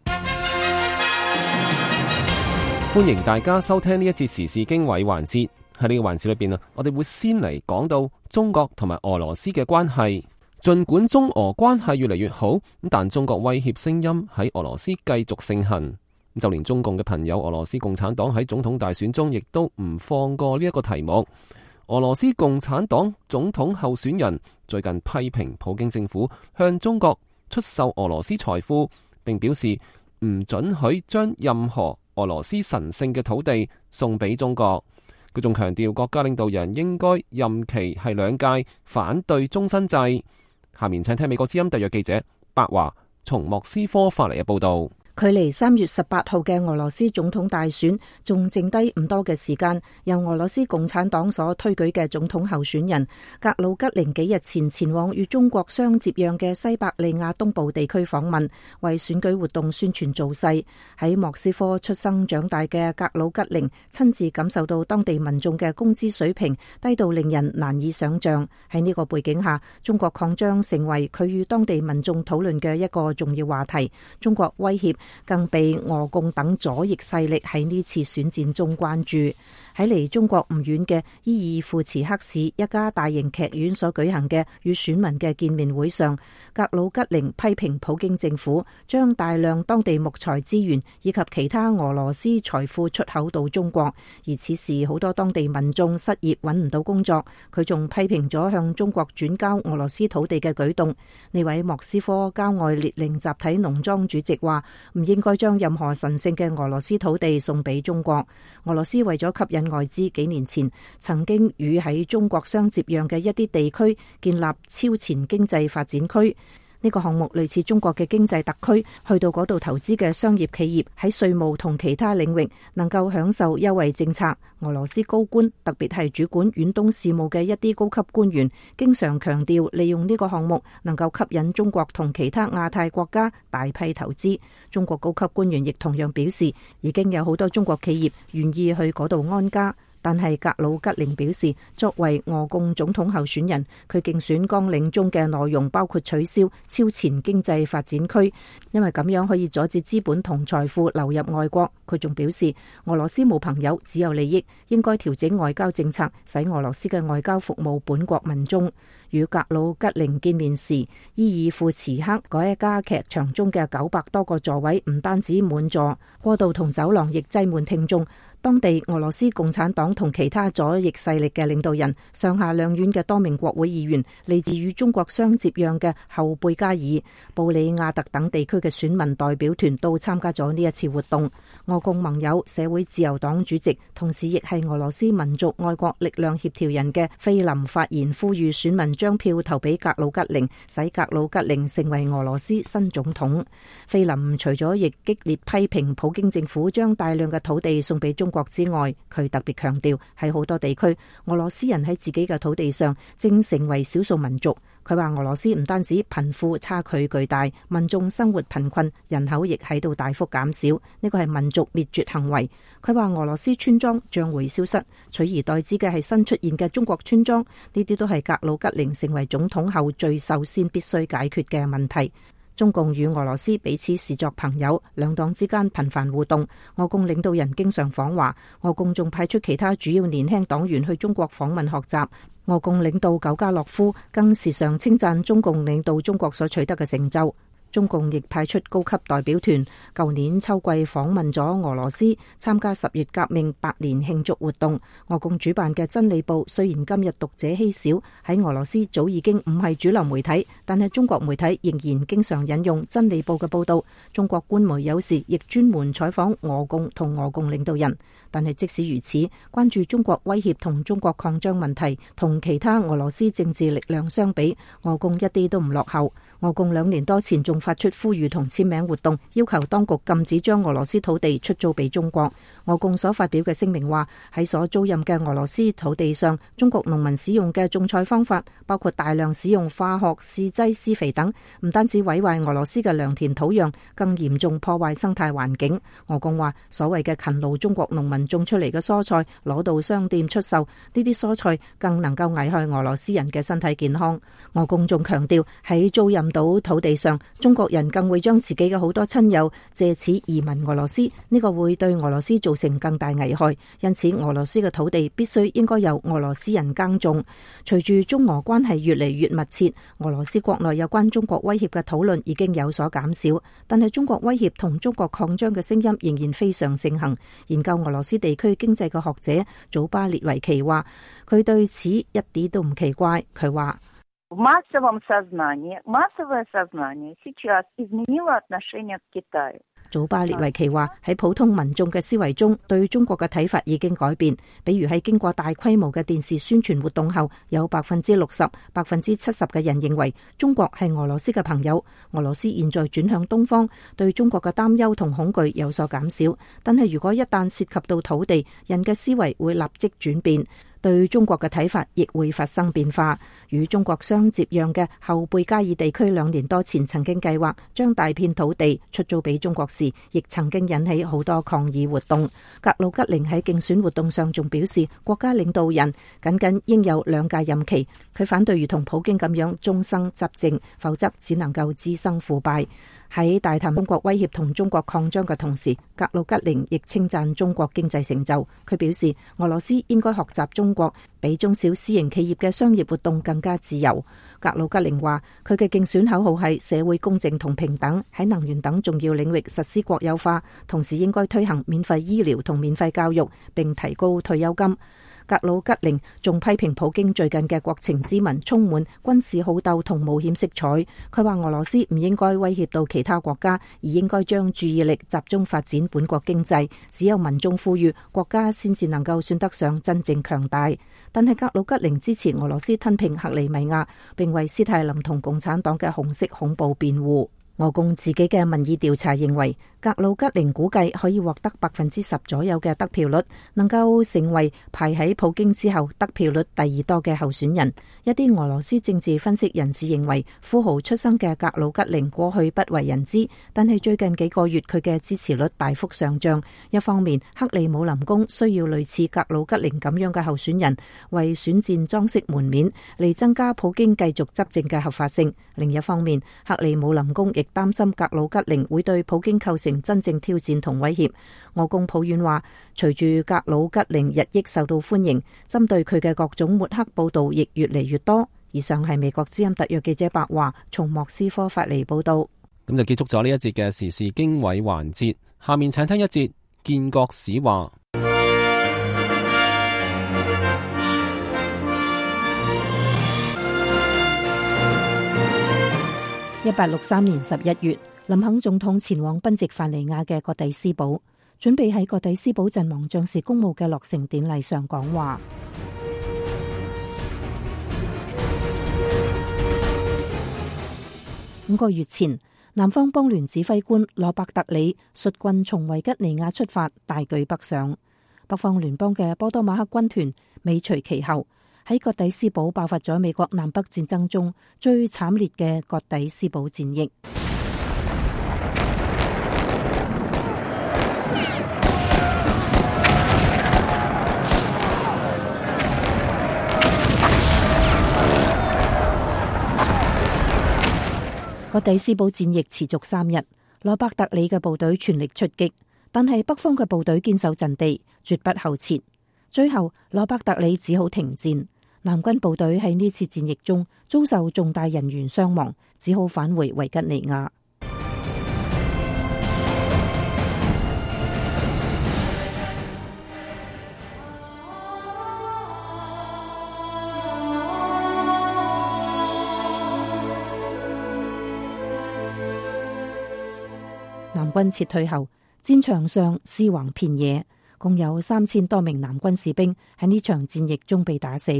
歡迎大家收聽呢一節時事經緯環節。喺呢個環節裏邊我哋會先嚟講到中國同埋俄羅斯嘅關係。盡管中俄關係越嚟越好，但中國威脅聲音喺俄羅斯繼續盛行。就連中共嘅朋友俄羅斯共產黨喺總統大選中亦都唔放過呢一個題目。俄羅斯共產黨總統候選人最近批評普京政府向中國出售俄羅斯財富，並表示唔准許將任何俄羅斯神聖嘅土地送俾中國。佢仲強調國家領導人應該任期係2屆，反對終身制。下面請聽美國之音特約記者白華從莫斯科發嚟嘅報道。距離3月18號嘅俄羅斯總統大選仲剩低唔多嘅時間，由俄羅斯共產黨所推舉嘅總統候選人格魯吉寧幾日前前往與中國相接壤嘅西伯利亞東部地區訪問，為選舉活動宣傳造勢。喺莫斯科出生長大嘅格魯吉寧親自感受到當地民眾嘅工資水平低到令人難以想象。喺呢個背景下，中國擴張成為佢與當地民眾討論嘅一個重要話題。中國威脅更被俄共等左翼勢力喺呢次選戰中關注。喺離中國唔遠嘅伊爾庫茨克市一家大型劇院所舉行嘅與選民嘅見面會上，格魯吉寧批評普京政府將大量當地木材資源以及其他俄羅斯財富出口到中國，而此時好多當地民眾失業揾唔到工作。佢仲批評咗向中國轉交俄羅斯土地嘅舉動。呢位莫斯科郊外列寧集體農莊主席話，唔應該將任何神聖嘅俄羅斯土地送俾中國。俄羅斯為咗吸引外資，幾年前曾經與喺中國相接壤嘅一啲地區建立超前經濟發展區。呢個項目類似中國嘅經濟特區，去到嗰度投資嘅商業企業喺稅務同其他領域能夠享受優惠政策。俄羅斯高官，特別係主管遠東事務嘅一啲高級官員，經常強調利用呢個項目能夠吸引中國同其他亞太國家大批投資。中國高級官員亦同樣表示，已經有好多中國企業願意去嗰度安家。但係格魯吉寧表示，作為俄共總統候選人，佢競選綱領中嘅內容包括取消超前經濟發展區，因為咁樣可以阻止資本同財富流入外國。佢仲表示，俄羅斯冇朋友，只有利益，應該調整外交政策，使俄羅斯嘅外交服務本國民眾。與格魯吉寧見面時，伊爾庫茨克嗰一家劇場中嘅900多個座位唔單止滿座，過道同走廊亦擠滿聽眾。當地俄羅斯共產黨同其他左翼勢力嘅領導人、上下兩院嘅多名國會議員、嚟自與中國相接壤嘅後貝加爾、布里亞特等地區嘅選民代表團都參加咗呢一次活動。俄共盟友社會自由黨主席，同時亦係俄羅斯民族愛國力量協調人嘅菲林發言，呼籲選民將票投俾格魯吉寧，使格魯吉寧成為俄羅斯新總統。菲林除咗亦激烈批評普京政府將大量嘅土地送俾中國之外，佢特別強調喺好多地區，俄羅斯人喺自己嘅土地上正成為少數民族。佢話俄羅斯唔單止貧富差距巨大，民眾生活貧困，人口亦喺度大幅減少，呢個係民族滅絕行為。佢話俄羅斯村莊將會消失，取而代之嘅係新出現嘅中國村莊，呢啲都係格魯吉寧成為總統後最首先必須解決嘅問題。中共與俄羅斯彼此視作朋友，兩黨之間頻繁互動。俄共領導人經常訪華，俄共仲派出其他主要年輕黨員去中國訪問學習。俄共領導久加諾夫更時常稱讚中共領導中國所取得嘅成就。中共亦派出高級代表團，舊年秋季訪問咗俄羅斯，參加10月革命100年慶祝活動。俄共主辦嘅真理報雖然今日讀者稀少，喺俄羅斯早已經唔係主流媒體，但係中國媒體仍然經常引用真理報嘅報道。中國官媒有時亦專門採訪俄共同俄共領導人。但係即使如此，關注中國威脅同中國擴張問題，同其他俄羅斯政治力量相比，俄共一啲都唔落後。俄共2年多前仲發出呼籲同簽名活動，要求當局禁止將俄羅斯土地出租俾中國。俄共所發表嘅聲明話，喺所租賃嘅俄羅斯土地上，中國農民使用嘅種菜方法，包括大量使用化學試劑施肥等，唔單止毀壞俄羅斯嘅良田土壤，更嚴重破壞生態環境。俄共話，所謂嘅勤勞中國農民種出嚟嘅蔬菜攞到商店出售，呢啲蔬菜更能夠危害俄羅斯人嘅身體健康。俄共仲強調，喺租賃到土地上，中國人更會將自己嘅好多親友借此移民俄羅斯，呢個會對俄羅斯造成更大危害。因此，俄羅斯嘅土地必須應該由俄羅斯人耕種。隨住中俄關係越嚟越密切，俄羅斯國內有關中國威脅嘅討論已經有所減少，但係中國威脅同中國擴張嘅聲音仍然非常盛行。研究俄羅斯地區經濟嘅學者祖巴列維奇話，佢對此一啲都唔奇怪。佢話массовое сознание сейчас изменило отношение к Китаю。祖巴列維奇話，喺普通民眾嘅思維中，對中國嘅睇法已經改變。比如喺經過大規模嘅電視宣傳活動後，有60%、70%嘅人認為中國係俄羅斯嘅朋友。俄羅斯現在轉向東方，對中國嘅擔憂同恐懼有所減少。但係如果一旦涉及到土地，人嘅思維會立即轉變。對中國嘅睇法亦會發生變化。與中國相接壤嘅後貝加爾地區2年多前曾經計劃將大片土地出租俾中國時，亦曾經引起好多抗議活動。格魯吉寧喺競選活動上仲表示，國家領導人僅應有2屆任期。佢反對如同普京咁樣終生執政，否則只能夠滋生腐敗。喺大談中國威脅同中國擴張嘅同時，格魯吉寧亦稱讚中國經濟成就。佢表示，俄羅斯應該學習中國，比中小私營企業嘅商業活動更加自由。格魯吉寧話，佢嘅競選口號係社會公正同平等，喺能源等重要領域實施國有化，同時應該推行免費醫療同免費教育，並提高退休金。格魯吉寧仲批評普京最近嘅國情咨文充滿軍事好鬥同冒險色彩。佢話俄羅斯唔應該威脅到其他國家，而應該將注意力集中發展本國經濟。只有民眾富裕，國家先至能夠算得上真正強大。但係格魯吉寧支持俄羅斯吞併克里米亞，並為斯泰林同共產黨嘅紅色恐怖辯護。俄共自己嘅民意調查認為，格魯吉寧估計可以獲得10%左右嘅得票率，能夠成為排喺普京之後得票率第2多嘅候選人。一啲俄羅斯政治分析人士認為，富豪出身嘅格魯吉寧過去不為人知，但係最近幾個月佢嘅支持率大幅上漲。一方面，克里姆林宮需要類似格魯吉寧咁樣嘅候選人為選戰裝飾門面，嚟增加普京繼續執政嘅合法性。另一方面，克里姆林宮亦擔心格魯吉寧會對普京構成真正挑戰同威脅。俄共抱怨話，隨住格魯吉寧日益受到歡迎，針對佢嘅各種抹黑報道亦越嚟越多。以上係美國之音特約記者白華從莫斯科發嚟報道。咁就結束咗呢一節嘅時事經緯環節，下面請聽一節建國史話。1863年11月，林肯總統前往賓夕凡尼亞嘅葛蒂斯堡，準備喺葛蒂斯堡陣亡將士公墓嘅落成典禮上講話。5個月前，南方邦聯指揮官羅伯特里率軍從維吉尼亞出發，大舉北上。北方聯邦嘅波多馬克軍團尾隨其後，喺葛蒂斯堡爆發咗美國南北戰爭中最慘烈嘅葛蒂斯堡戰役。葛蒂斯堡戰役持續3日，羅伯特里嘅部隊全力出擊，但係北方嘅部隊堅守陣地，絕不後撤。最後，羅伯特里只好停戰。南軍部隊喺呢次戰役中遭受重大人員傷亡，只好返回維吉尼亞。軍撤退後，戰場上屍橫遍野，共有3000多名南軍士兵喺呢場戰役中被打死。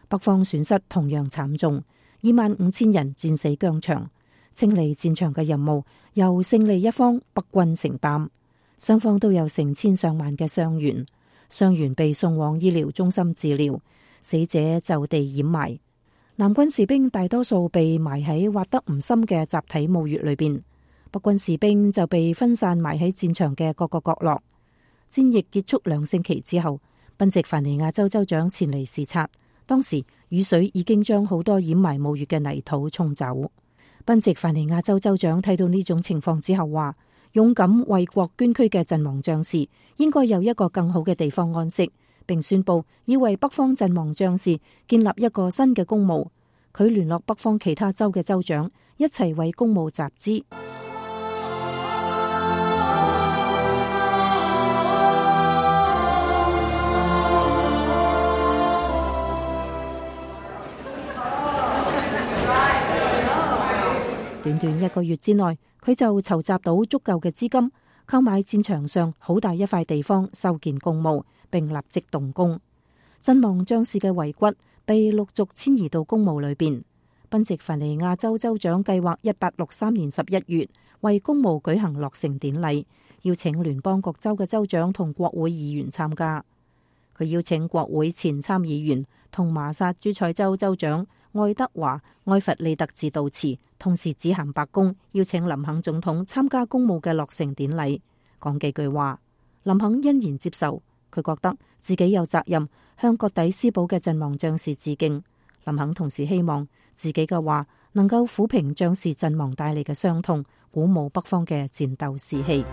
北方損失同樣慘重，25000人戰死疆場。清理戰場嘅任務由勝利一方北軍承擔，雙方都有成千上萬嘅傷員，傷員被送往醫療中心治療，死者就地掩埋。南軍士兵大多數被埋喺挖得唔深嘅集體墓穴裏邊，北軍士兵就被分散埋喺戰場嘅各個角落。戰役結束2星期之後，賓夕凡尼亞州州長前嚟視察，當時雨水已經將好多掩埋墓穴嘅泥土沖走。賓夕凡尼亞州州長睇到呢種情況之後話，勇敢為國捐軀嘅陣亡將士應該有一個更好嘅地方安息，並宣布要為北方陣亡將士建立一個新嘅公墓。佢聯絡北方其他州嘅州長一齊為公墓集資。短短1個月之內，佢就籌集到足夠嘅資金，購買戰場上好大一塊地方修建公墓，並立即動工。陣亡將士嘅遺骨被陸續遷移到公墓裏邊。賓夕凡尼亞州州長計劃1863年11月為公墓舉行落成典禮，邀請聯邦各州嘅州長同國會議員參加。佢邀請國會前參議員同麻薩諸塞州州長愛德華·埃弗利特致悼詞，同時指函白宮，邀請林肯總統參加公墓嘅落成典禮，講幾句話。林肯欣然接受，佢覺得自己有責任向葛底斯堡嘅陣亡將士致敬。林肯同時希望自己嘅話能夠撫平將士陣亡帶嚟嘅傷痛，鼓舞北方嘅戰鬥士氣。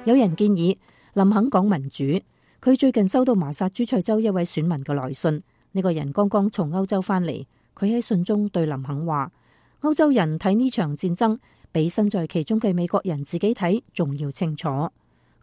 有人建議林肯講民主。佢最近收到麻薩諸塞州一位選民嘅來信，呢個人剛剛從歐洲返嚟。佢喺信中對林肯話：歐洲人睇呢場戰爭比身在其中嘅美國人自己睇仲要清楚。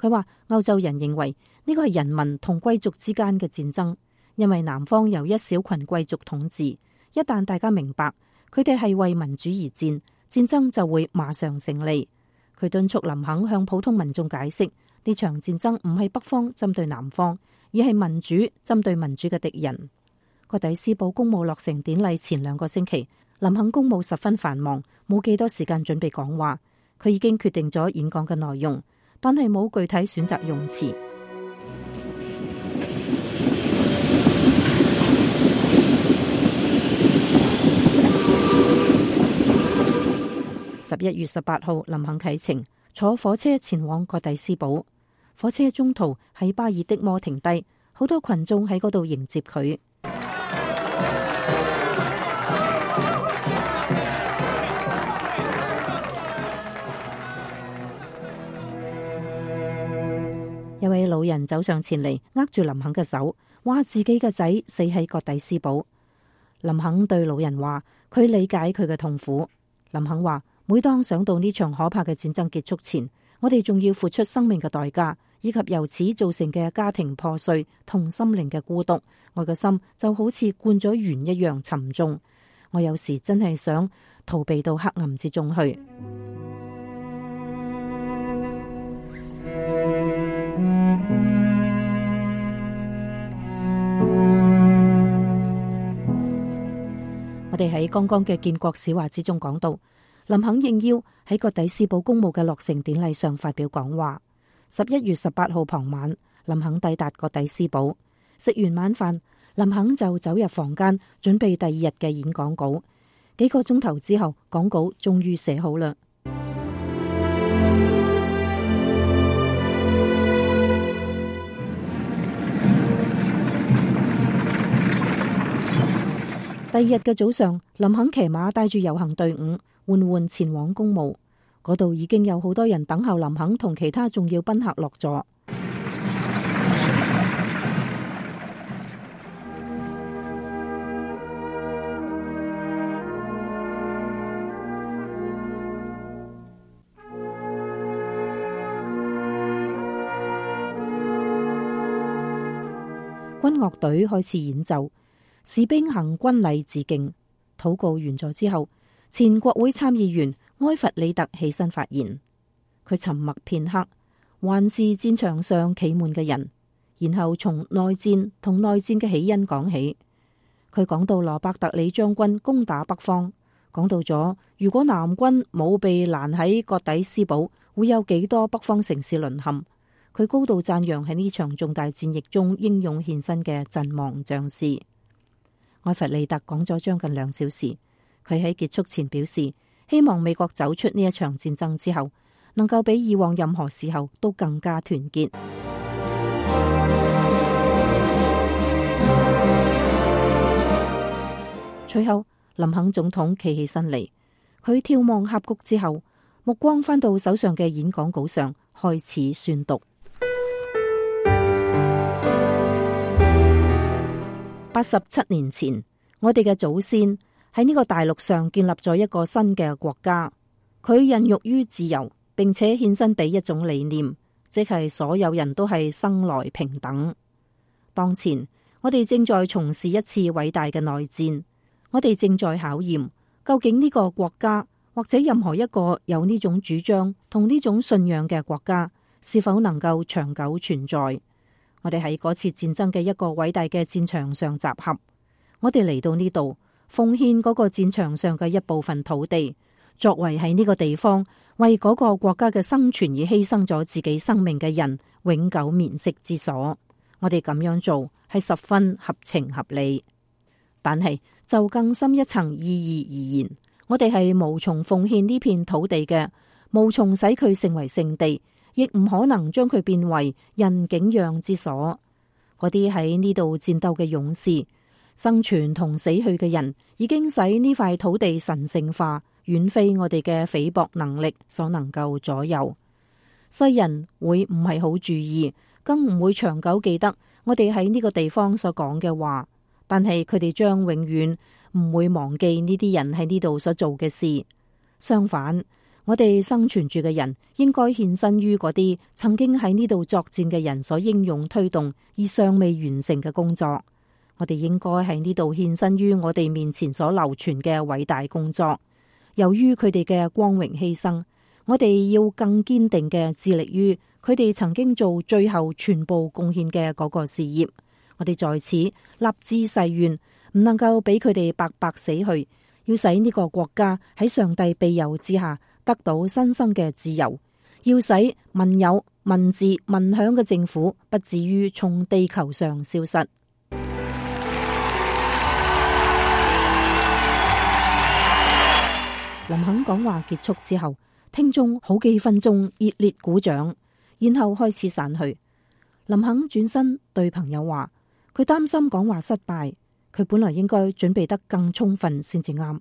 佢話歐洲人認為呢個係人民同貴族之間嘅戰爭，因為南方由一小群貴族統治。一旦大家明白佢哋係為民主而戰，戰爭就會馬上勝利。佢敦促林肯向普通民眾解釋，呢場戰爭唔係北方針對南方，而係民主針對民主嘅敵人。葛底斯堡公墓落成典禮前2個星期，林肯公務十分繁忙，冇幾多時間準備講話。佢已經決定咗演講嘅內容，但係冇具體選擇用詞。11月18號，林肯啟程，坐火車前往葛底斯堡。火車中途喺巴爾的摩停低，好多群眾喺嗰度迎接佢。一位老人走上前嚟，握住林肯嘅手，話自己嘅仔死喺葛底斯堡。林肯對老人話，佢理解佢嘅痛苦。林肯話，每當想到呢場可怕嘅戰爭結束前，我哋仲要付出生命嘅代價，以及由此造成嘅家庭破碎同心靈嘅孤獨，我嘅心就好似灌咗鉛一樣沉重。我有時真係想逃避到黑暗之中去。我哋喺剛剛嘅建國史話之中講到，林肯應邀喺葛底斯堡公墓嘅落成典禮上發表講話。11月18號傍晚，林肯抵達葛底斯堡，食完晚飯，林肯就走入房間準備第2日嘅演講稿。幾個鐘頭之後，講稿終於寫好啦。第2日嘅早上，林肯騎馬帶住遊行隊伍緩緩前往公墓，嗰度已經有好多人等候林肯同其他重要賓客落座。軍樂隊開始演奏，士兵行軍禮致敬。禱告完咗之後，前國會參議員埃弗里特起身發言。佢沉默片刻，環視戰場上企滿嘅人，然後從內戰同內戰嘅起因講起。佢講到羅伯特里將軍攻打北方，講到咗如果南軍冇被攔喺葛底斯堡，會有幾多北方城市淪陷。佢高度讚揚喺呢場重大戰役中英勇獻身嘅陣亡將士。埃弗里特講咗將近2小時，佢喺結束前表示，希望美國走出呢一場戰爭之後，能夠比以往任何時候都更加團結。隨後，林肯總統企起身嚟，佢眺望峽谷之後，目光返到手上嘅演講稿上，開始宣讀。87年前，我哋嘅祖先喺呢個大陸上建立咗一個新嘅國家，佢孕育於自由，並且獻身俾一種理念，即係所有人都係生來平等。當前，我哋正在從事一次偉大嘅內戰，我哋正在考驗究竟呢個國家或者任何一個有呢種主張同呢種信仰嘅國家是否能夠長久存在。我哋喺嗰次戰爭嘅一個偉大嘅戰場上集合，我哋嚟到呢度奉獻嗰個戰場上嘅一部分土地，作為喺呢個地方為嗰個國家嘅生存而犧牲咗自己生命嘅人永久眠息之所。我哋咁樣做係十分合情合理，但係就更深一層意義而言，我哋係無從奉獻呢片土地嘅，無從使佢成為聖地，亦唔可能將佢變為人景仰之所。嗰啲喺呢度戰鬥嘅勇士，生存同死去嘅人，已經使呢塊土地神聖化，遠非我哋嘅菲薄能力所能夠左右。世人會唔係好注意，更唔會長久記得我哋喺呢個地方所講嘅話，但係佢哋將永遠唔會忘記呢啲人喺呢度所做嘅事。相反，我哋生存住嘅人應該獻身於嗰啲曾經喺呢度作戰嘅人所英勇推動而尚未完成嘅工作。我哋應該喺呢度獻身於我哋面前所流傳嘅偉大工作。由於佢哋嘅光榮犧牲，我哋要更堅定嘅致力於佢哋曾經做最後全部貢獻嘅嗰個事業。我哋在此立志誓願，唔能夠俾佢哋白白死去，要使呢個國家喺上帝庇佑之下得到新生嘅自由，要使民有、民治、民享嘅政府不至於從地球上消失。林肯講話結束之後，聽眾好幾分鐘熱烈鼓掌，然後開始散去。林肯轉身對朋友話，佢擔心講話失敗，佢本來應該準備得更充分先至啱。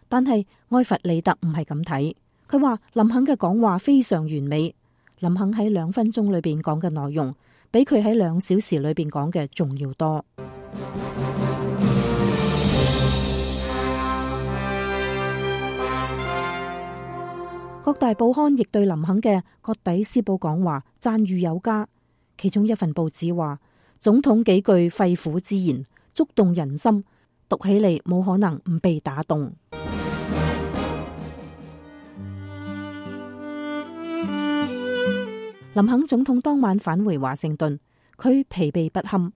但係埃弗里特唔係咁睇，佢話林肯嘅講話非常完美。林肯喺2分鐘裏邊講嘅內容，比佢喺2小時裏邊講嘅仲要多。各大報刊亦對林肯嘅葛底斯堡講話讚譽有加，其中一份報紙話，總統幾句肺腑之言觸動人心，讀起嚟冇可能唔被打動。林肯總統當晚返回華盛頓，佢疲憊不堪。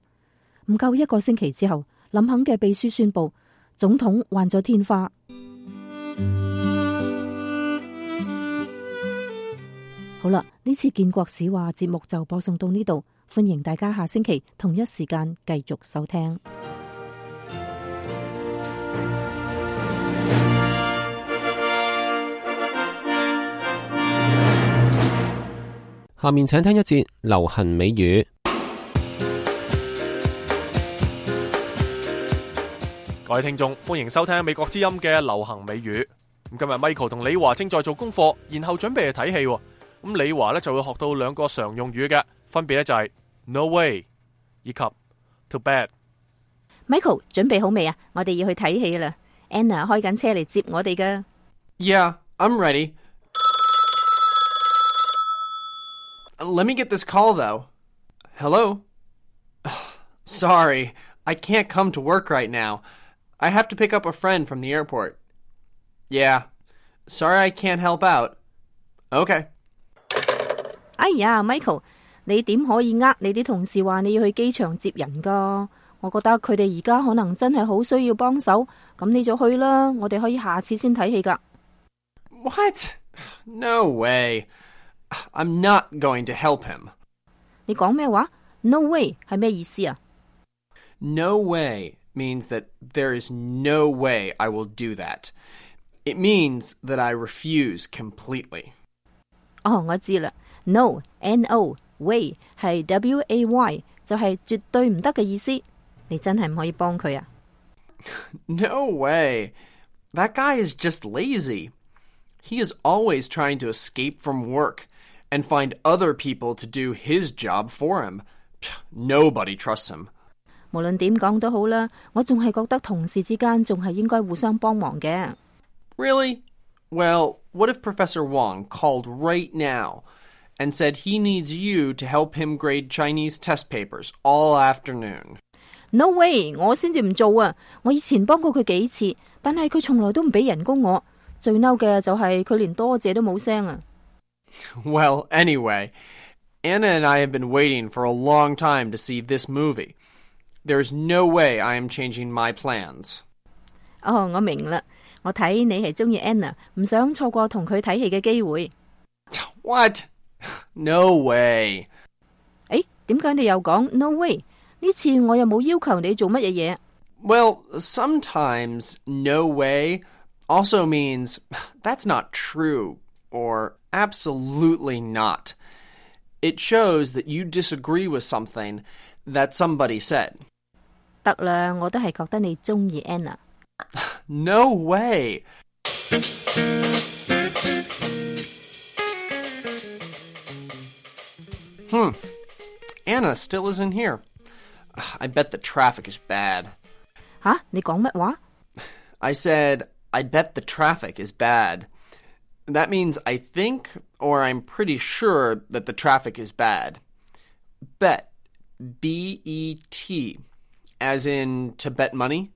唔夠1個星期之後，林肯嘅秘書宣布總統患咗天花。好啦，呢次建國史話節目就播送到呢度，歡迎大家下星期同一時間繼續收聽。下面請聽一節流行美語。各位聽眾，歡迎收聽美國之音嘅流行美語。咁今日 Michael 同李華正在做功課，然後準備去睇戲。咁李華咧就會學到2個常用語嘅，分別咧就係 No way 以及 Too bad。Michael 準備好未啊？我哋要去睇戲啦。Anna 開緊車嚟接我哋噶。Yeah, I'm ready. Let me get this call though. Hello? Sorry, I can't come to work right now. I have to pick up a friend from the airport. Yeah, sorry I can't help out. Okay. 哎呀 ，Michael， 你點可以你啲同事話你要去機場接人㗎？我覺得佢哋而家可能真係好需要幫手，咁你就去啦，我哋可以下次先睇戲㗎。What? No way. I'm not going to help him. 你講咩話 ？No way 係咩意思啊？ No way means that there is no way I will do that. It means that I refuse completely. 哦，我知啦 ，no no way 係 way 就係絕對唔得嘅意思。你真係唔可以幫佢啊 No way. That guy is just lazy. He is always trying to escape from work and find other people to do his job for him. Nobody trusts him. 無論點講都好啦，我仲係覺得同事之間仲係應該互相幫忙嘅。Really? Well, what if Professor Wong called right now and said he needs you to help him grade Chinese test papers all afternoon? No way， 我先至唔做啊！我以前幫過佢幾次，但係佢從來都唔俾人工我。最嬲嘅就係佢連多謝都冇聲啊！ Well, anyway, Anna and I have been waiting for a long time to see this movie. There's no way I am changing my plans. 哦，我明啦，我睇你係中意 Anna， 唔想錯過同佢睇戲嘅機會。What? No way. 誒，點解你又講 no way？ 呢次我又冇要求你做乜嘢嘢。Well, sometimes no way also means that's not true or absolutely not. It shows that you disagree with something that somebody said. 得啦，我都係覺得你中意 Anna。 No way. Anna still isn't here. I bet the traffic is bad. 吓，你講乜話？ I said, I bet the traffic is bad. That means I think or I'm pretty sure that the traffic is bad. Bet, B-E-T, as in to bet money?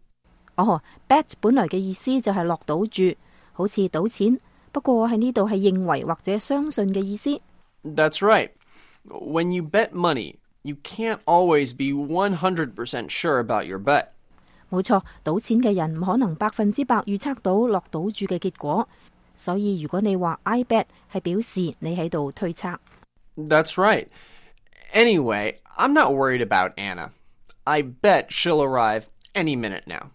哦 ，bet 本來嘅意思就係落賭注，好似賭錢，不過喺呢度係認為或者相信嘅意思。 That's right. When you bet money, you can't always be 100% sure about your bet. 冇錯，賭錢嘅人唔可能100%預測到落賭注嘅結果，所以如果你話 I bet 係表示你喺度推測。 That's right. Anyway, I'm not worried about Anna. I bet she'll arrive any minute now.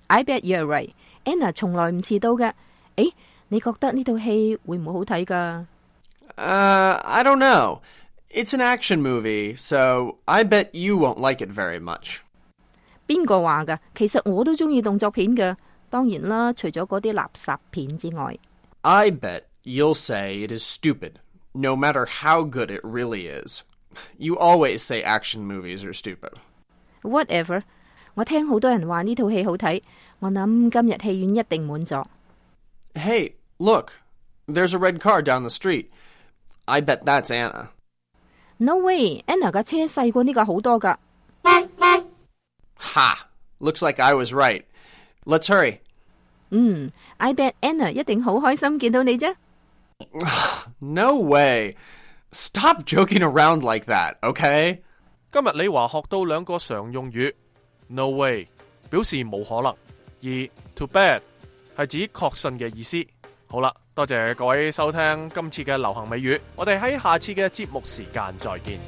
I bet you're right. Anna 從來唔遲到嘅。誒，你覺得呢套戲會唔會好睇㗎？ I don't know. It's an action movie, so I bet you won't like it very much. 邊個話㗎？其實我都中意動作片嘅，當然啦，除咗嗰啲垃圾片之外。 I bet you'll say it is stupid, no matter how good it really is. You always say action movies are stupid. Whatever. 我聽好多人話呢套戲好睇，我諗今日戲院一定滿座。 Hey, look. There's a red car down the street. I bet that's Anna. No way. Anna 架車細過呢架好多㗎。 Ha! Looks like I was right. Let's hurry. I bet Anna 一定好開心見到你啫。 No way. Stop joking around like that, okay? 今日李華學到兩個常用語 ，no way 表示冇可能，而 too bad 係指確信嘅意思。好啦，多謝各位收聽今次嘅流行美語，我哋喺下次嘅節目時間再見。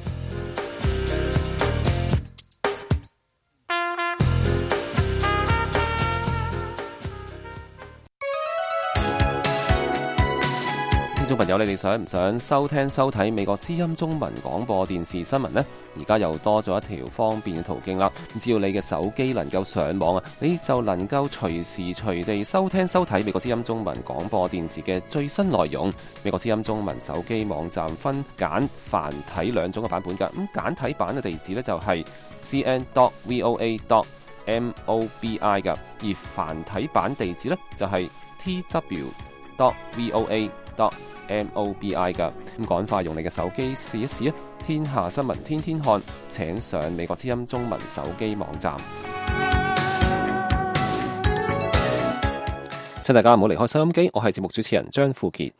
聽眾朋友，你哋想唔想收聽收睇美國之音中文廣播電視新聞呢？而家又多咗一條方便嘅途徑啦！只要你嘅手機能夠上網啊，你就能夠隨時隨地收聽收睇美國之音中文廣播電視嘅最新內容。美國之音中文手機網站分簡繁體兩種嘅版本㗎。咁簡體版嘅地址呢，就係 cn.voa.mobi 㗎，而繁體版地址呢，就係tw.voa.mobi .mobi 噶。咁趕快用你嘅手機試一試啊！天下新聞天天看，請上美國之音中文手機網站。請大家唔好離開收音機，我係節目主持人張富傑。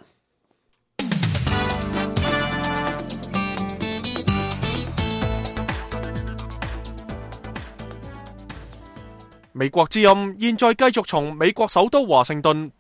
美國之音現在繼續從美國首都華盛頓